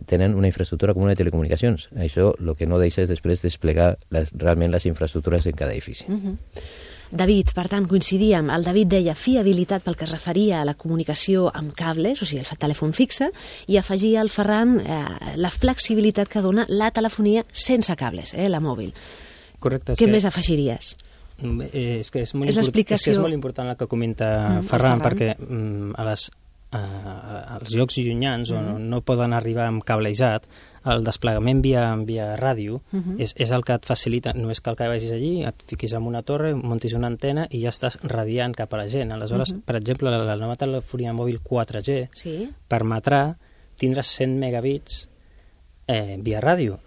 tenen una infraestructura comuna de telecomunicacions. Això el que no deixa és després desplegar realment les infraestructures en cada edifici. David, per tant, coincidíem. El David deia fiabilitat pel que es referia a la comunicació amb cables, o sigui, el telèfon fixe, i afegia el Ferran la flexibilitat que dona la telefonia sense cables, la mòbil. Correcte. Què més afegiries? És que és molt important el que comenta Ferran, perquè als llocs llunyans on no poden arribar amb cablejat, el desplegament via ràdio és el que et facilita. No és cal que vagis allí, et fiquis en una torre, muntis una antena i ja estàs radiant cap a la gent. Aleshores, per exemple, la nova telefonia mòbil 4G permetrà tindre 100 megabits via ràdio.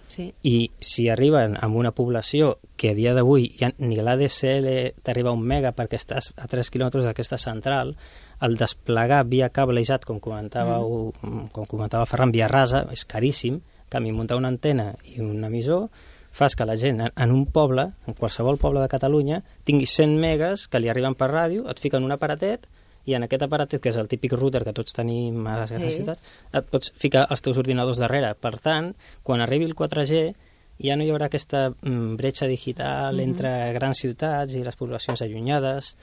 I si arriben a una població que a dia d'avui ni l'ADSL t'arriba a 1 mega perquè estàs a 3 quilòmetres d'aquesta central, el desplegar via cablejat, com comentava Ferran, via rasa, és caríssim. En canvi, muntar una antena i un emissor fas que la gent en un poble, en qualsevol poble de Catalunya, tingui 100 megas que li arriben per ràdio, et fiquen un aparatet i en aquest aparatet, que és el típic router que tots tenim a les grans ciutats, et pots ficar els teus ordinadors darrere. Per tant, quan arribi el 4G ja no hi haurà aquesta bretxa digital entre grans ciutats i les poblacions allunyades,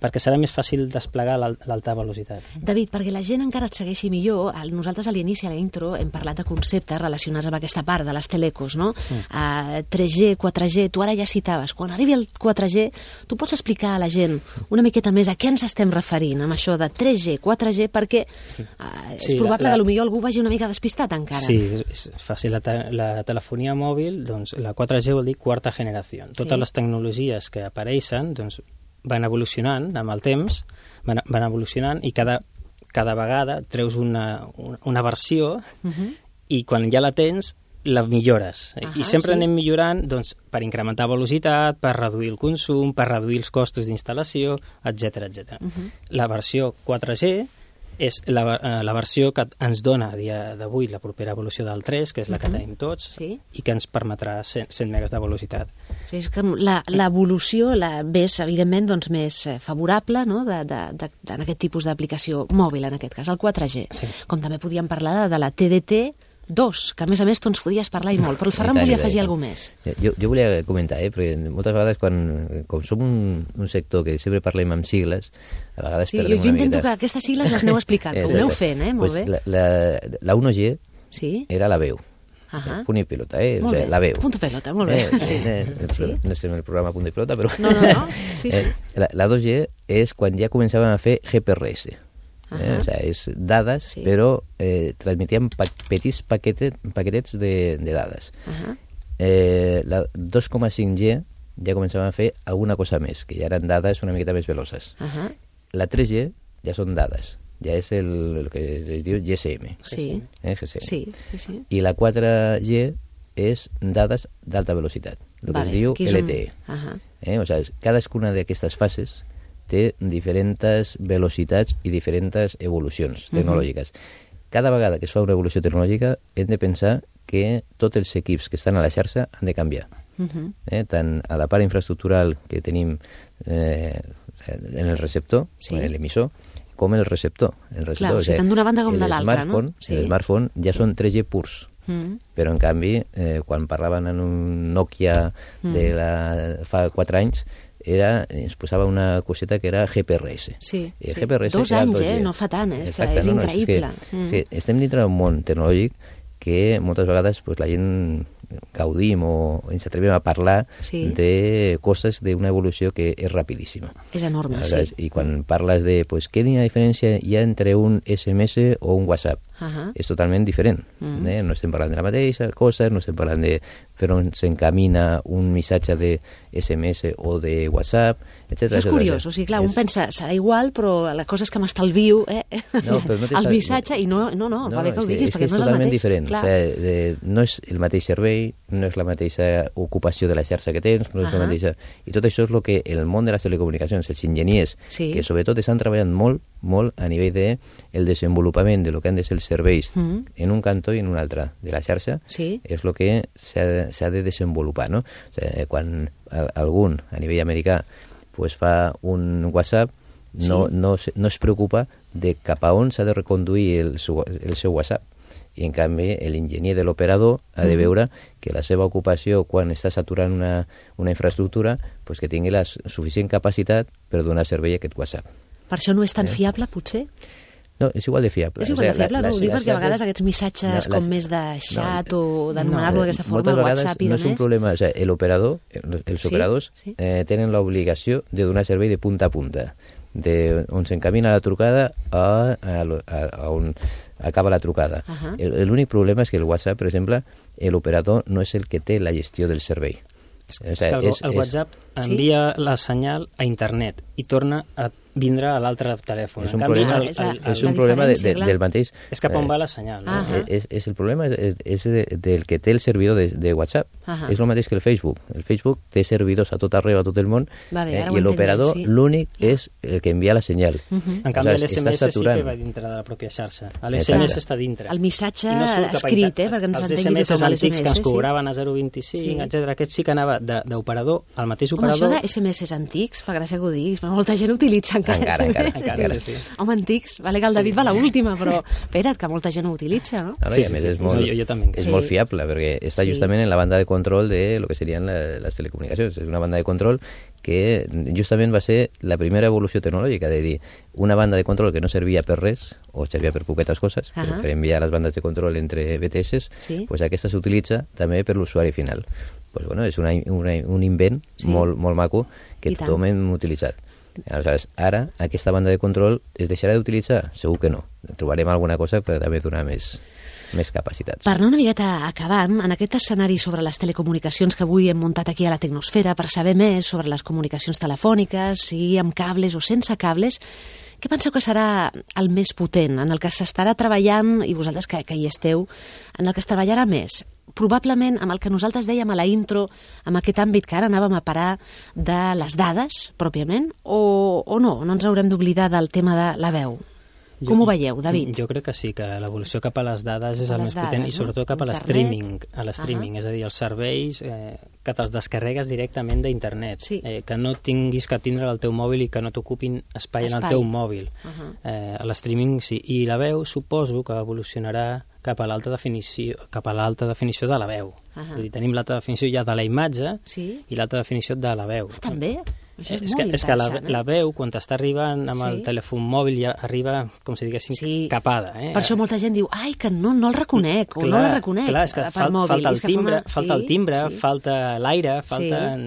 perquè serà més fàcil desplegar l'alta velocitat. David, perquè la gent encara et segueixi millor, nosaltres a l'inici, a la intro, hem parlat de conceptes relacionats amb aquesta part de les telecos, no? 3G, 4G, tu ara ja citaves. Quan arribi el 4G, tu pots explicar a la gent una miqueta més a què ens estem referint amb això de 3G, 4G, perquè és probable que potser algú vagi una mica despistat encara. Sí, és fàcil. La telefonia mòbil, doncs, la 4G vol dir quarta generació. Totes les tecnologies que apareixen, doncs, van evolucionant amb el temps, van evolucionant i cada vegada treus una versió i quan ja la tens la millores. I sempre anem millorant doncs, per incrementar velocitat, per reduir el consum, per reduir els costos d'instal·lació, etc. La versió 4G és la versió que ens dona a dia d'avui la propera evolució del 3, que és la que tenim tots, i que ens permetrà 100 megas de velocitat. És que l'evolució és, evidentment, doncs, més favorable, no?, en aquest tipus d'aplicació mòbil, en aquest cas, el 4G. Com també podíem parlar de la TDT2, que a més tu ens podies parlar i molt, però el Ferran volia afegir alguna més. Jo volia comentar, perquè moltes vegades, com som un sector que sempre parlem amb sigles, a vegades perdem una miqueta. Jo intento que aquestes sigles les aneu explicant, ho aneu fent, molt bé. La 1G era la veu. Punt i pilota, la veu. Punt i pilota, molt bé. No estem en el programa Punt i pilota, però... No. La 2G és quan ja començàvem a fer GPRS. O sigui, és dades, però transmetíem petits paquetets de dades. La 2,5G ja començàvem a fer alguna cosa més, que ja eren dades una miqueta més veloces. La 3G ja són dades, ja és el que es diu GSM. GSM. I la 4G és dades d'alta velocitat, el que es diu LTE. O sigui, cadascuna d'aquestes fases té diferents velocitats i diferents evolucions tecnològiques. Cada vegada que es fa una evolució tecnològica hem de pensar que tots els equips que estan a la xarxa han de canviar. Tant a la part infraestructural que tenim en el receptor, en l'emissor, com en el receptor. Clar, o sigui, tant d'una banda com de l'altra, no? El smartphone ja són 3G purs, però en canvi, quan parlaven en un Nokia fa 4 anys, ens posava una coseta que era GPRS. Sí. 2 anys, no fa tant, és increïble. Estem dintre d'un món tecnològic que moltes vegades la gent gaudim o ens atrevim a parlar de coses d'una evolució que és rapidíssima. És enorme, I quan parles de quina diferència hi ha entre un SMS o un WhatsApp, és totalment diferent. No estem parlant de la mateixa cosa, no estem parlant de per on s'encamina un missatge de SMS o de WhatsApp, etcètera. És curiós, o sigui, clar, un pensa, serà igual, però la cosa és que m'estalvio el missatge i no, va bé que ho diguis, perquè no és el mateix. Diferent. O sigui, no és el mateix servei, no és la mateixa ocupació de la xarxa que tens, no és la mateixa... I tot això és el que el món de les telecomunicacions, els enginyers, que sobretot estan treballant molt a nivell de el desenvolupament de lo que han de ser els serveis en un cantó i en un altre de la xarxa, és el que s'ha de desenvolupar, no? O sigui, quan algun, a nivell americà, pues fa un WhatsApp, no es preocupa de cap a on s'ha de reconduir el seu WhatsApp. I, en canvi, l'enginyer de l'operador ha de veure que la seva ocupació, quan està saturant una infraestructura, pues que tingui la suficient capacitat per donar servei a aquest WhatsApp. Per això no és tan fiable, potser? No, és igual de fiable. És igual de fiable, no? Ho dic perquè a vegades aquests missatges com més de xat o d'anomenar-lo d'aquesta forma, el WhatsApp i no és un problema. O sigui, l'operador, els operadors tenen l'obligació de donar servei de punta a punta, on s'encamina la trucada a on acaba la trucada. L'únic problema és que el WhatsApp, per exemple, l'operador no és el que té la gestió del servei. És que el WhatsApp envia la senyal a internet i torna a vindre a l'altre telèfon. És un problema del mateix... És cap on va la senyal. El problema és del que té el servidor de WhatsApp. És el mateix que el Facebook. El Facebook té servidors a tot arreu, a tot el món, i l'operador l'únic és el que envia la senyal. En canvi, l'SMS sí que va dintre de la pròpia xarxa. L'SMS està dintre. El missatge escrit, perquè ens entengui tothom els SMS antics que ens cobraven a 0,25, etc. Aquest sí que anava d'operador al mateix operador. Home, això de SMS antics, fa gràcia que ho diguis, molta gent utilitza encara, sí. Home, antics, vale que el David va a l'última, però espera't, que molta gent ho utilitza, no? I a més és molt fiable, perquè està justament en la banda de control de lo que serien les telecomunicacions. És una banda de control que justament va ser la primera evolució tecnològica, de dir, una banda de control que no servia per res, o servia per poquetes coses, per enviar les bandes de control entre BTS, pues aquesta s'utilitza també per l'usuari final. Pues bueno, és un invent molt maco que tothom hem utilitzat. Aleshores, ara aquesta banda de control es deixarà d'utilitzar? Segur que no. Trobarem alguna cosa per també donar més capacitats. Per anar una miqueta acabant, en aquest escenari sobre les telecomunicacions que avui hem muntat aquí a la Tecnosfera, per saber més sobre les comunicacions telefòniques, sigui amb cables o sense cables, què penseu que serà el més potent, en el que s'estarà treballant, i vosaltres que hi esteu, en el que es treballarà més? Probablement amb el que nosaltres dèiem a la intro, amb aquest àmbit que ara anàvem a parar de les dades, pròpiament, o no ens haurem d'oblidar del tema de la veu? Com ho veieu, David? Jo crec que sí, que l'evolució cap a les dades és el més potent, i sobretot cap a l'streaming, és a dir, els serveis que te'ls descarregues directament d'internet, que no tinguis que tindre el teu mòbil i que no t'ocupin espai en el teu mòbil. L'streaming sí, i la veu suposo que evolucionarà cap a l'alta definició de la veu. És dir, tenim l'alta definició ja de la imatge i l'alta definició de la veu. També? És que la veu, quan t'està arribant amb el telèfon mòbil, ja arriba, com si diguéssim, capada. Per això molta gent diu, ai, que no el reconec, o no la reconec per mòbil. Falta el timbre, falta l'aire, falta...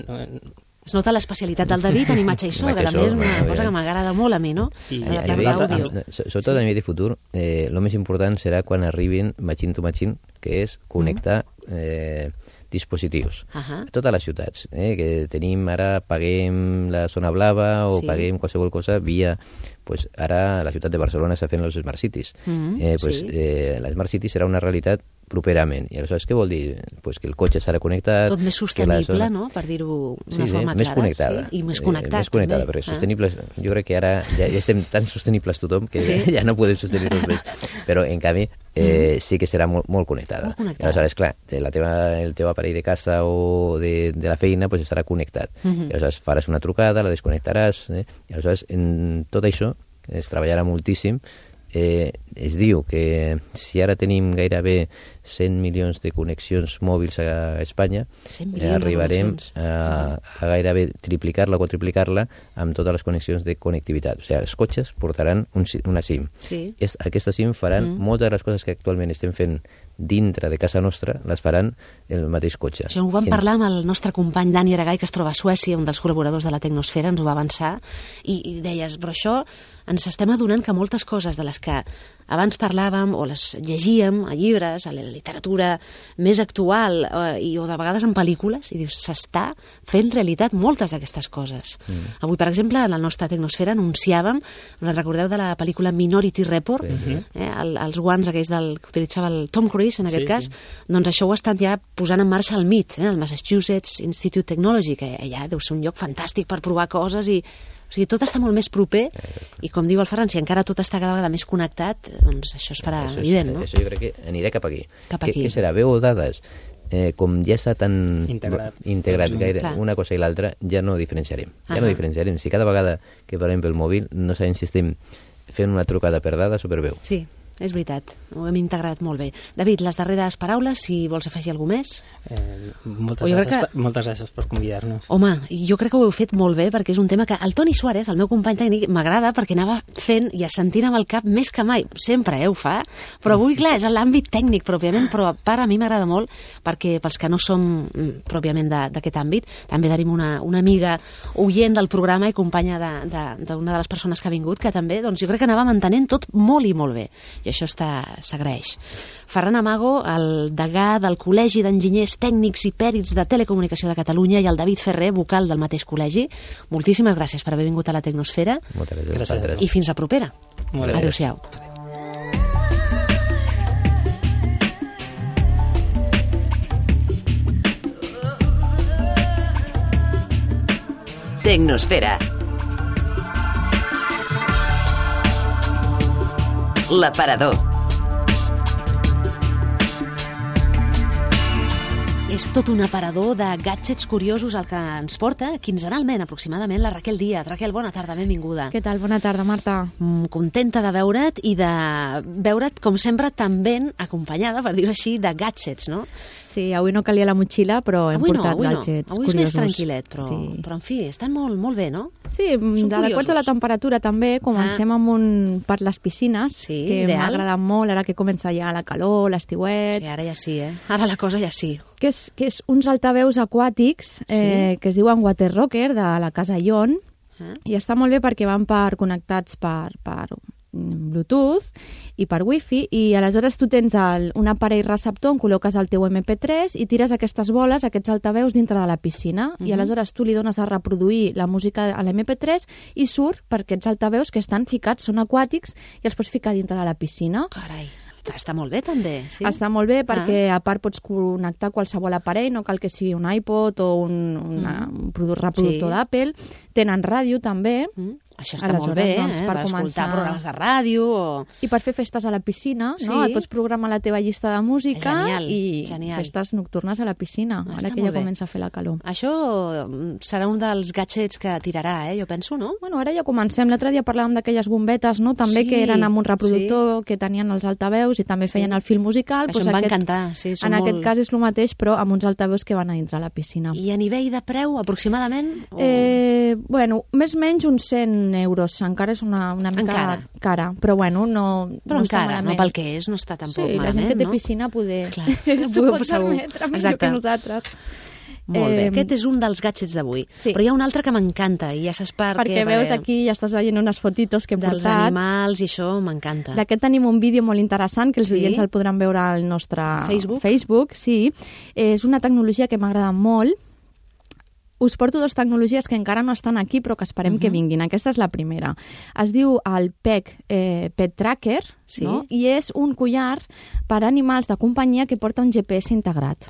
Es nota l'especialitat del David en imatge i so, que també és una cosa que m'agrada molt a mi, no? Sobretot a nivell de futur, el més important serà quan arribin machine to machine, que és connectar dispositius. A totes les ciutats que tenim ara, paguem la zona blava o paguem qualsevol cosa via... Pues ara la ciutat de Barcelona està fent els Smart Cities. La Smart City serà una realitat properament. I aleshores què vol dir? Pues que el cotxe estarà connectat... Tot més sostenible, no? Per dir-ho d'una forma clara. Més connectada. I més connectat. Més connectada, perquè sostenibles... Jo crec que ara ja estem tan sostenibles tothom que ja no podem sostenir tot més. Però, en canvi, sí que serà molt connectada. Aleshores, clar, el teu aparell de casa o de la feina pues estarà connectat. Aleshores, faràs una trucada, la desconnectaràs. I aleshores, en tot això es treballarà moltíssim. Es diu que si ara tenim gairebé 100 milions de connexions mòbils a Espanya, arribarem a gairebé triplicar-la o quadriplicar-la amb totes les connexions de connectivitat. O sigui, els cotxes portaran una SIM. Aquesta SIM faran moltes de les coses que actualment estem fent dintre de casa nostra, les faran el mateix cotxe. Això ho vam parlar amb el nostre company Dani Aragay, que es troba a Suècia, un dels col·laboradors de la Tecnosfera, ens ho va avançar, i deies, però això ens estem adonant que moltes coses de les que abans parlàvem o les llegíem a llibres, a la literatura més actual o de vegades en pel·lícules, i dius, s'està fent realitat moltes d'aquestes coses. Avui, per exemple, en la nostra Tecnosfera anunciàvem, us en recordeu de la pel·lícula Minority Report, els guants aquells que utilitzava el Tom Cruise, en aquest cas, doncs això ho estan ja posant en marxa al MIT, el Massachusetts Institute Technology, que ja deu ser un lloc fantàstic per provar coses i o sigui, tot està molt més proper i, com diu el Ferran, si encara tot està cada vegada més connectat, doncs això es farà evident, no? Això jo crec que anirà cap aquí. Què serà? Veu dades? Com ja està tan integrat gaire una cosa i l'altra, ja no diferenciarem. Ja no diferenciarem. Si cada vegada que parlem pel mòbil no sabem si estem fent una trucada per dades o per veu. Sí, és veritat, ho hem integrat molt bé. David, les darreres paraules, si vols afegir alguna més? Moltes gràcies per convidar-nos. Home, jo crec que ho heu fet molt bé, perquè és un tema que el Toni Suárez, el meu company tècnic, m'agrada perquè anava fent i assentint amb el cap més que mai. Sempre ho fa, però avui, clar, és l'àmbit tècnic pròpiament, però a part a mi m'agrada molt perquè pels que no som pròpiament d'aquest àmbit, també tenim una amiga oient del programa i companya d'una de les persones que ha vingut, que també, doncs jo crec que anava mantenint tot molt i molt bé. I això s'agraeix. Ferran Amago, el degà del Col·legi d'Enginyers Tècnics i Pèrits de Telecomunicació de Catalunya, i el David Ferrer, vocal del mateix col·legi, moltíssimes gràcies per haver vingut a la Tecnosfera. Moltes gràcies. I fins la propera. Adéu-siau. Tecnosfera. L'aparador. És tot un aparador de gadgets curiosos el que ens porta quinzenalment, aproximadament, la Raquel Díaz. Raquel, bona tarda, benvinguda. Què tal? Bona tarda, Marta. Contenta de veure't i de veure't, com sempre, tan ben acompanyada, per dir-ho així, de gadgets, no? Sí, avui no calia la motxilla, però hem portat gadgets curiosos. Avui és més tranquil·let, però en fi, estan molt bé, no? Sí, adequats a la temperatura també. Comencem amb per les piscines, que m'ha agradat molt, ara que comença ja la calor, l'estiuet. Sí, ara ja sí, Ara la cosa ja sí. Que és uns altaveus aquàtics que es diuen Water Rocker, de la casa Ion, i està molt bé perquè van connectats per Bluetooth i per Wi-Fi, i aleshores tu tens un aparell receptor on col·loques el teu MP3 i tires aquestes boles, aquests altaveus dintre de la piscina, i aleshores tu li dones a reproduir la música a l'MP3 i surt per aquests altaveus que estan ficats, són aquàtics, i els pots ficar dintre de la piscina. Carai, està molt bé també, sí? Està molt bé perquè a part pots connectar qualsevol aparell, no cal que sigui un iPod o un reproductor d'Apple. Tenen ràdio també. Això està molt bé, per escoltar programes de ràdio. I per fer festes a la piscina, no? Et pots programar la teva llista de música i festes nocturnes a la piscina, ara que ja comença a fer la calor. Això serà un dels gadgets que tirarà, jo penso, no? Bueno, ara ja comencem. L'altre dia parlàvem d'aquelles bombetes, no? També que eren amb un reproductor que tenien els altaveus i també feien el fil musical. Això em va encantar. En aquest cas és el mateix, però amb uns altaveus que van a dintre a la piscina. I a nivell de preu, aproximadament? Bueno, més o menys uns 100 euros. Encara és una mica cara, però bueno, no està malament. No pel que és, no està tampoc malament, no? Sí, la gent que té piscina s'ho pot permetre millor que nosaltres. Molt bé, aquest és un dels gadgets d'avui. Però hi ha un altre que m'encanta, i ja saps perquè veus aquí, ja estàs veient unes fotitos que hem portat. Dels animals, i això m'encanta. D'aquest tenim un vídeo molt interessant, que els oients el podran veure al nostre Facebook. Sí, és una tecnologia que m'agrada molt. Us porto dues tecnologies que encara no estan aquí, però que esperem que vinguin. Aquesta és la primera. Es diu el PEG Pet Tracker, no? I és un collar per a animals de companyia que porta un GPS integrat.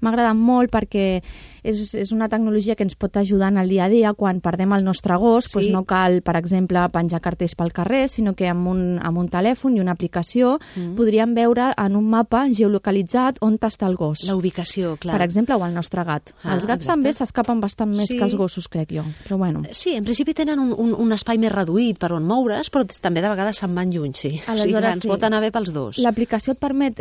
M'ha agradat molt perquè és una tecnologia que ens pot ajudar en el dia a dia. Quan perdem el nostre gos, doncs no cal, per exemple, penjar cartells pel carrer, sinó que amb un telèfon i una aplicació podríem veure en un mapa geolocalitzat on està el gos. La ubicació, clar. Per exemple, o el nostre gat. Els gats també s'escapen bastant més que els gossos, crec jo. Però bueno. Sí, en principi tenen un espai més reduït per on moure's, però també de vegades se'n van lluny, sí. Aleshores, ens pot anar bé pels dos. L'aplicació et permet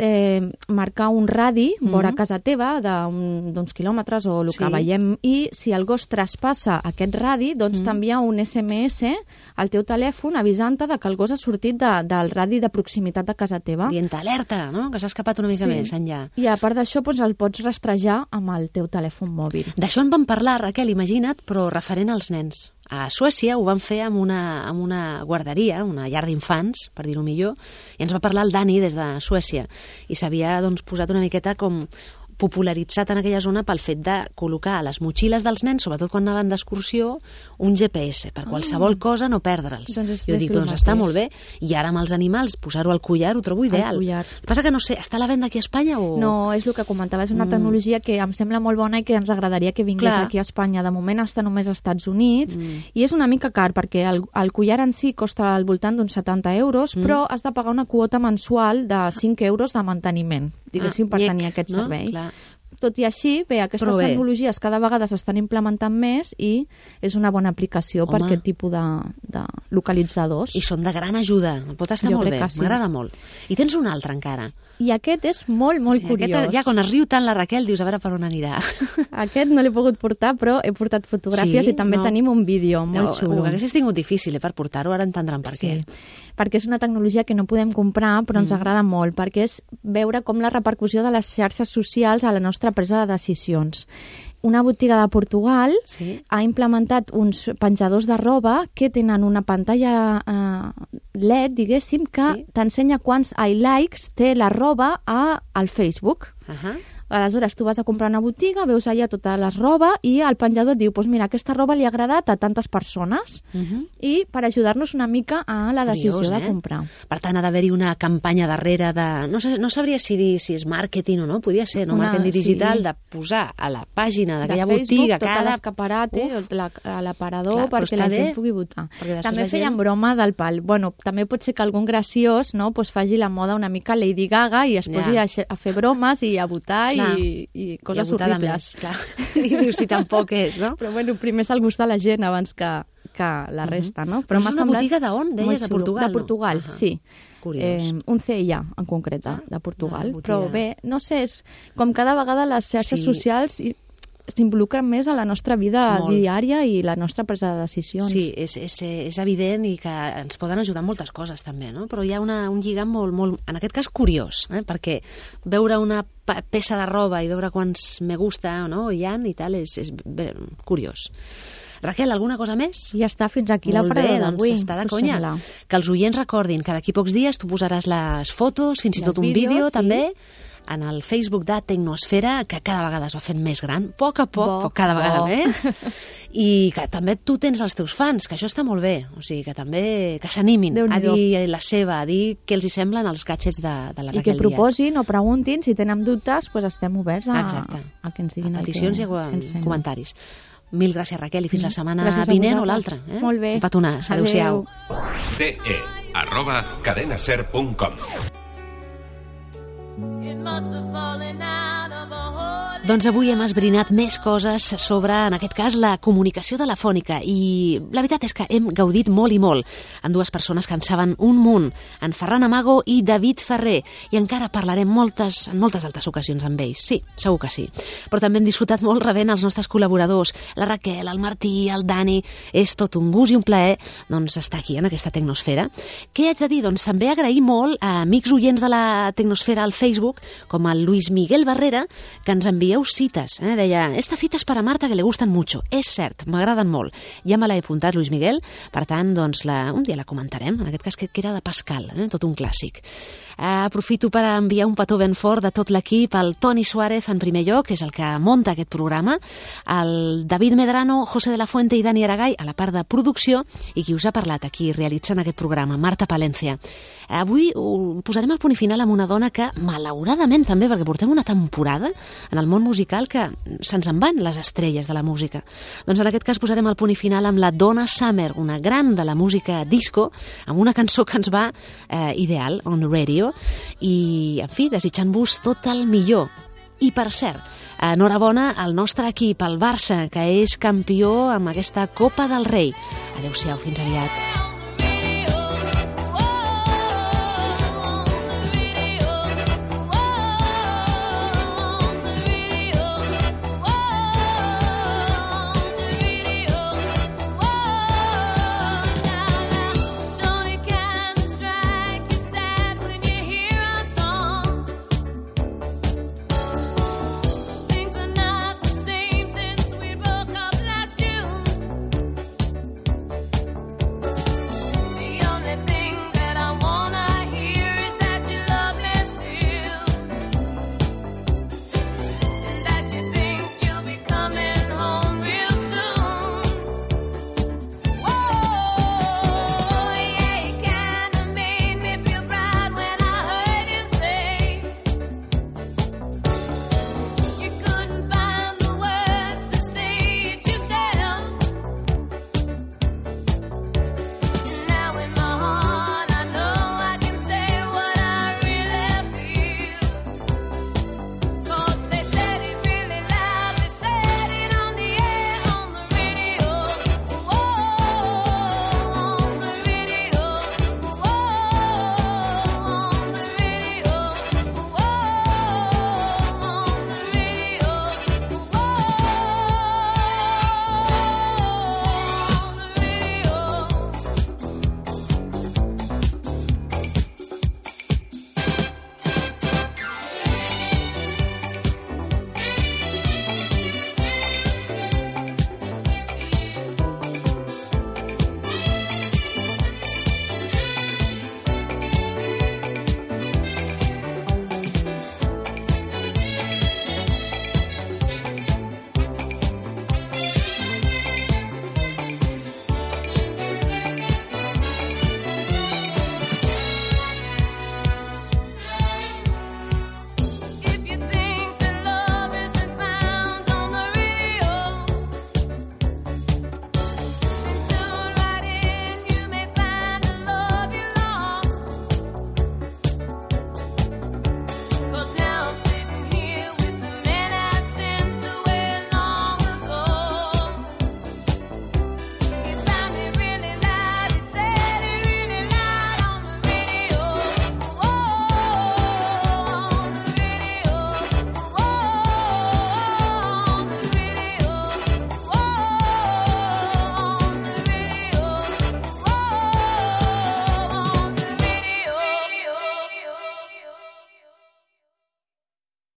marcar un radi vora casa teva d'uns quilòmetres o el que veiem. I si el gos traspassa aquest radi, doncs t'envia un SMS al teu telèfon avisant-te que el gos ha sortit del radi de proximitat de casa teva. Dient alerta, no? Que s'ha escapat una mica més enllà. I a part d'això, doncs el pots rastrejar amb el teu telèfon mòbil. D'això en vam parlar, Raquel, imagina't, però referent als nens. A Suècia ho van fer amb una guarderia, una llar d'infants, per dir-ho millor, i ens va parlar el Dani des de Suècia, i s'havia posat una miqueta com popularitzat en aquella zona pel fet de col·locar a les motxilles dels nens, sobretot quan anaven d'excursió, un GPS, per qualsevol cosa no perdre'ls. Jo dic, doncs està molt bé, i ara amb els animals posar-ho al collar ho trobo ideal. Passa que no sé, està a la venda aquí a Espanya o...? No, és el que comentava, és una tecnologia que em sembla molt bona i que ens agradaria que vingués aquí a Espanya. De moment està només als Estats Units i és una mica car perquè el collar en si costa al voltant d'uns 70 euros, però has de pagar una quota mensual de 5 euros de manteniment, diguéssim, per tenir aquest servei. Tot i així, bé, aquestes tecnologies cada vegada s'estan implementant més i és una bona aplicació per aquest tipus de localitzadors. I són de gran ajuda, pot estar molt bé, m'agrada molt. I tens un altre encara. I aquest és molt, molt curiós. Ja quan es riu tant la Raquel dius a veure per on anirà. Aquest no l'he pogut portar, però he portat fotografies i també tenim un vídeo molt xulo. Ho haguessis tingut difícil per portar-ho, ara entendran per què. Perquè és una tecnologia que no podem comprar, però ens agrada molt, perquè és veure com la repercussió de les xarxes socials a la nostra presa de decisions. Una botiga de Portugal ha implementat uns penjadors de roba que tenen una pantalla LED, diguéssim, que t'ensenya quants likes té la roba al Facebook. Aleshores, tu vas a comprar una botiga, veus allà tota la roba i el penjador et diu, doncs mira, aquesta roba li ha agradat a tantes persones i per ajudar-nos una mica a la decisió de comprar. Per tant, ha d'haver-hi una campanya darrere de... No sabria si dir si és màrqueting o no, podria ser, no? Màrqueting digital, de posar a la pàgina d'aquella botiga tot l'escaparate, l'aparador, perquè la gent pugui votar. També feien broma del pal. Bueno, també pot ser que algun graciós faci la moda una mica Lady Gaga i es posi a fer bromes i a votar i coses horribles. I dius si tampoc és, no? Però bueno, primer se'l gusta la gent abans que la resta, no? Però és una botiga d'on, deies? De Portugal? De Portugal, sí. Curiós. Un CIA, en concret, de Portugal. Però bé, no sé, és com cada vegada les xarxes socials s'involucren més a la nostra vida diària i la nostra presa de decisions. Sí, és evident i que ens poden ajudar moltes coses també, no? Però hi ha un lligam molt, en aquest cas curiós, perquè veure una peça de roba i veure quants me gusta o no hi ha i tal és curiós. Raquel, alguna cosa més? Ja està, fins aquí l'aparador d'avui. Doncs està de conya. Que els oients recordin que d'aquí pocs dies tu posaràs les fotos, fins i tot un vídeo també, en el Facebook de Tecnosfera, que cada vegada es va fent més gran, a poc, però cada vegada més, i que també tu tens els teus fans, que això està molt bé, o sigui, que també que s'animin a dir la seva, a dir què els hi semblen els gadgets de la Raquel Díaz. I que proposin o preguntin, si tenen dubtes, estem oberts a que ens diguin a peticions i a comentaris. Mil gràcies, Raquel, i fins la setmana vinent o l'altra. Molt bé. Un petonàs. Adéu-siau. ce@cadenaser.com. Doncs avui hem esbrinat més coses sobre, en aquest cas, la comunicació telefònica i la veritat és que hem gaudit molt i molt amb dues persones que en saben un munt, en Ferran Amago i David Ferrer, i encara parlarem en moltes altres ocasions amb ells, sí, segur que sí. Però també hem disfrutat molt rebent els nostres col·laboradors, la Raquel, el Martí, el Dani. És tot un gust i un plaer estar aquí en aquesta Tecnosfera. Què haig de dir? Doncs també agrair molt a amics oients de la Tecnosfera al Facebook, com el Luis Miguel Barrera, que ens envieu cites. Deia, esta cita es para Marta que le gustan mucho. És cert, m'agraden molt. Ja me l'he apuntat, Luis Miguel, per tant, doncs, un dia la comentarem, en aquest cas que era de Pascal, tot un clàssic. Aprofito per enviar un petó ben fort de tot l'equip, al Toni Suárez en primer lloc, que és el que munta aquest programa, el David Medrano, José de la Fuente i Dani Aragay a la part de producció, i qui us ha parlat aquí realitzant aquest programa, Marta Palencia. Avui posarem el punt i final amb una dona que, malauradament també, perquè portem una temporada en el món musical que se'ns en van les estrelles de la música. Doncs en aquest cas posarem el punt i final amb la Donna Summer, una gran de la música disco, amb una cançó que ens va ideal, On the Radio, i, en fi, desitjant-vos tot el millor. I, per cert, enhorabona al nostre equip, el Barça, que és campió amb aquesta Copa del Rei. Adéu-siau, fins aviat.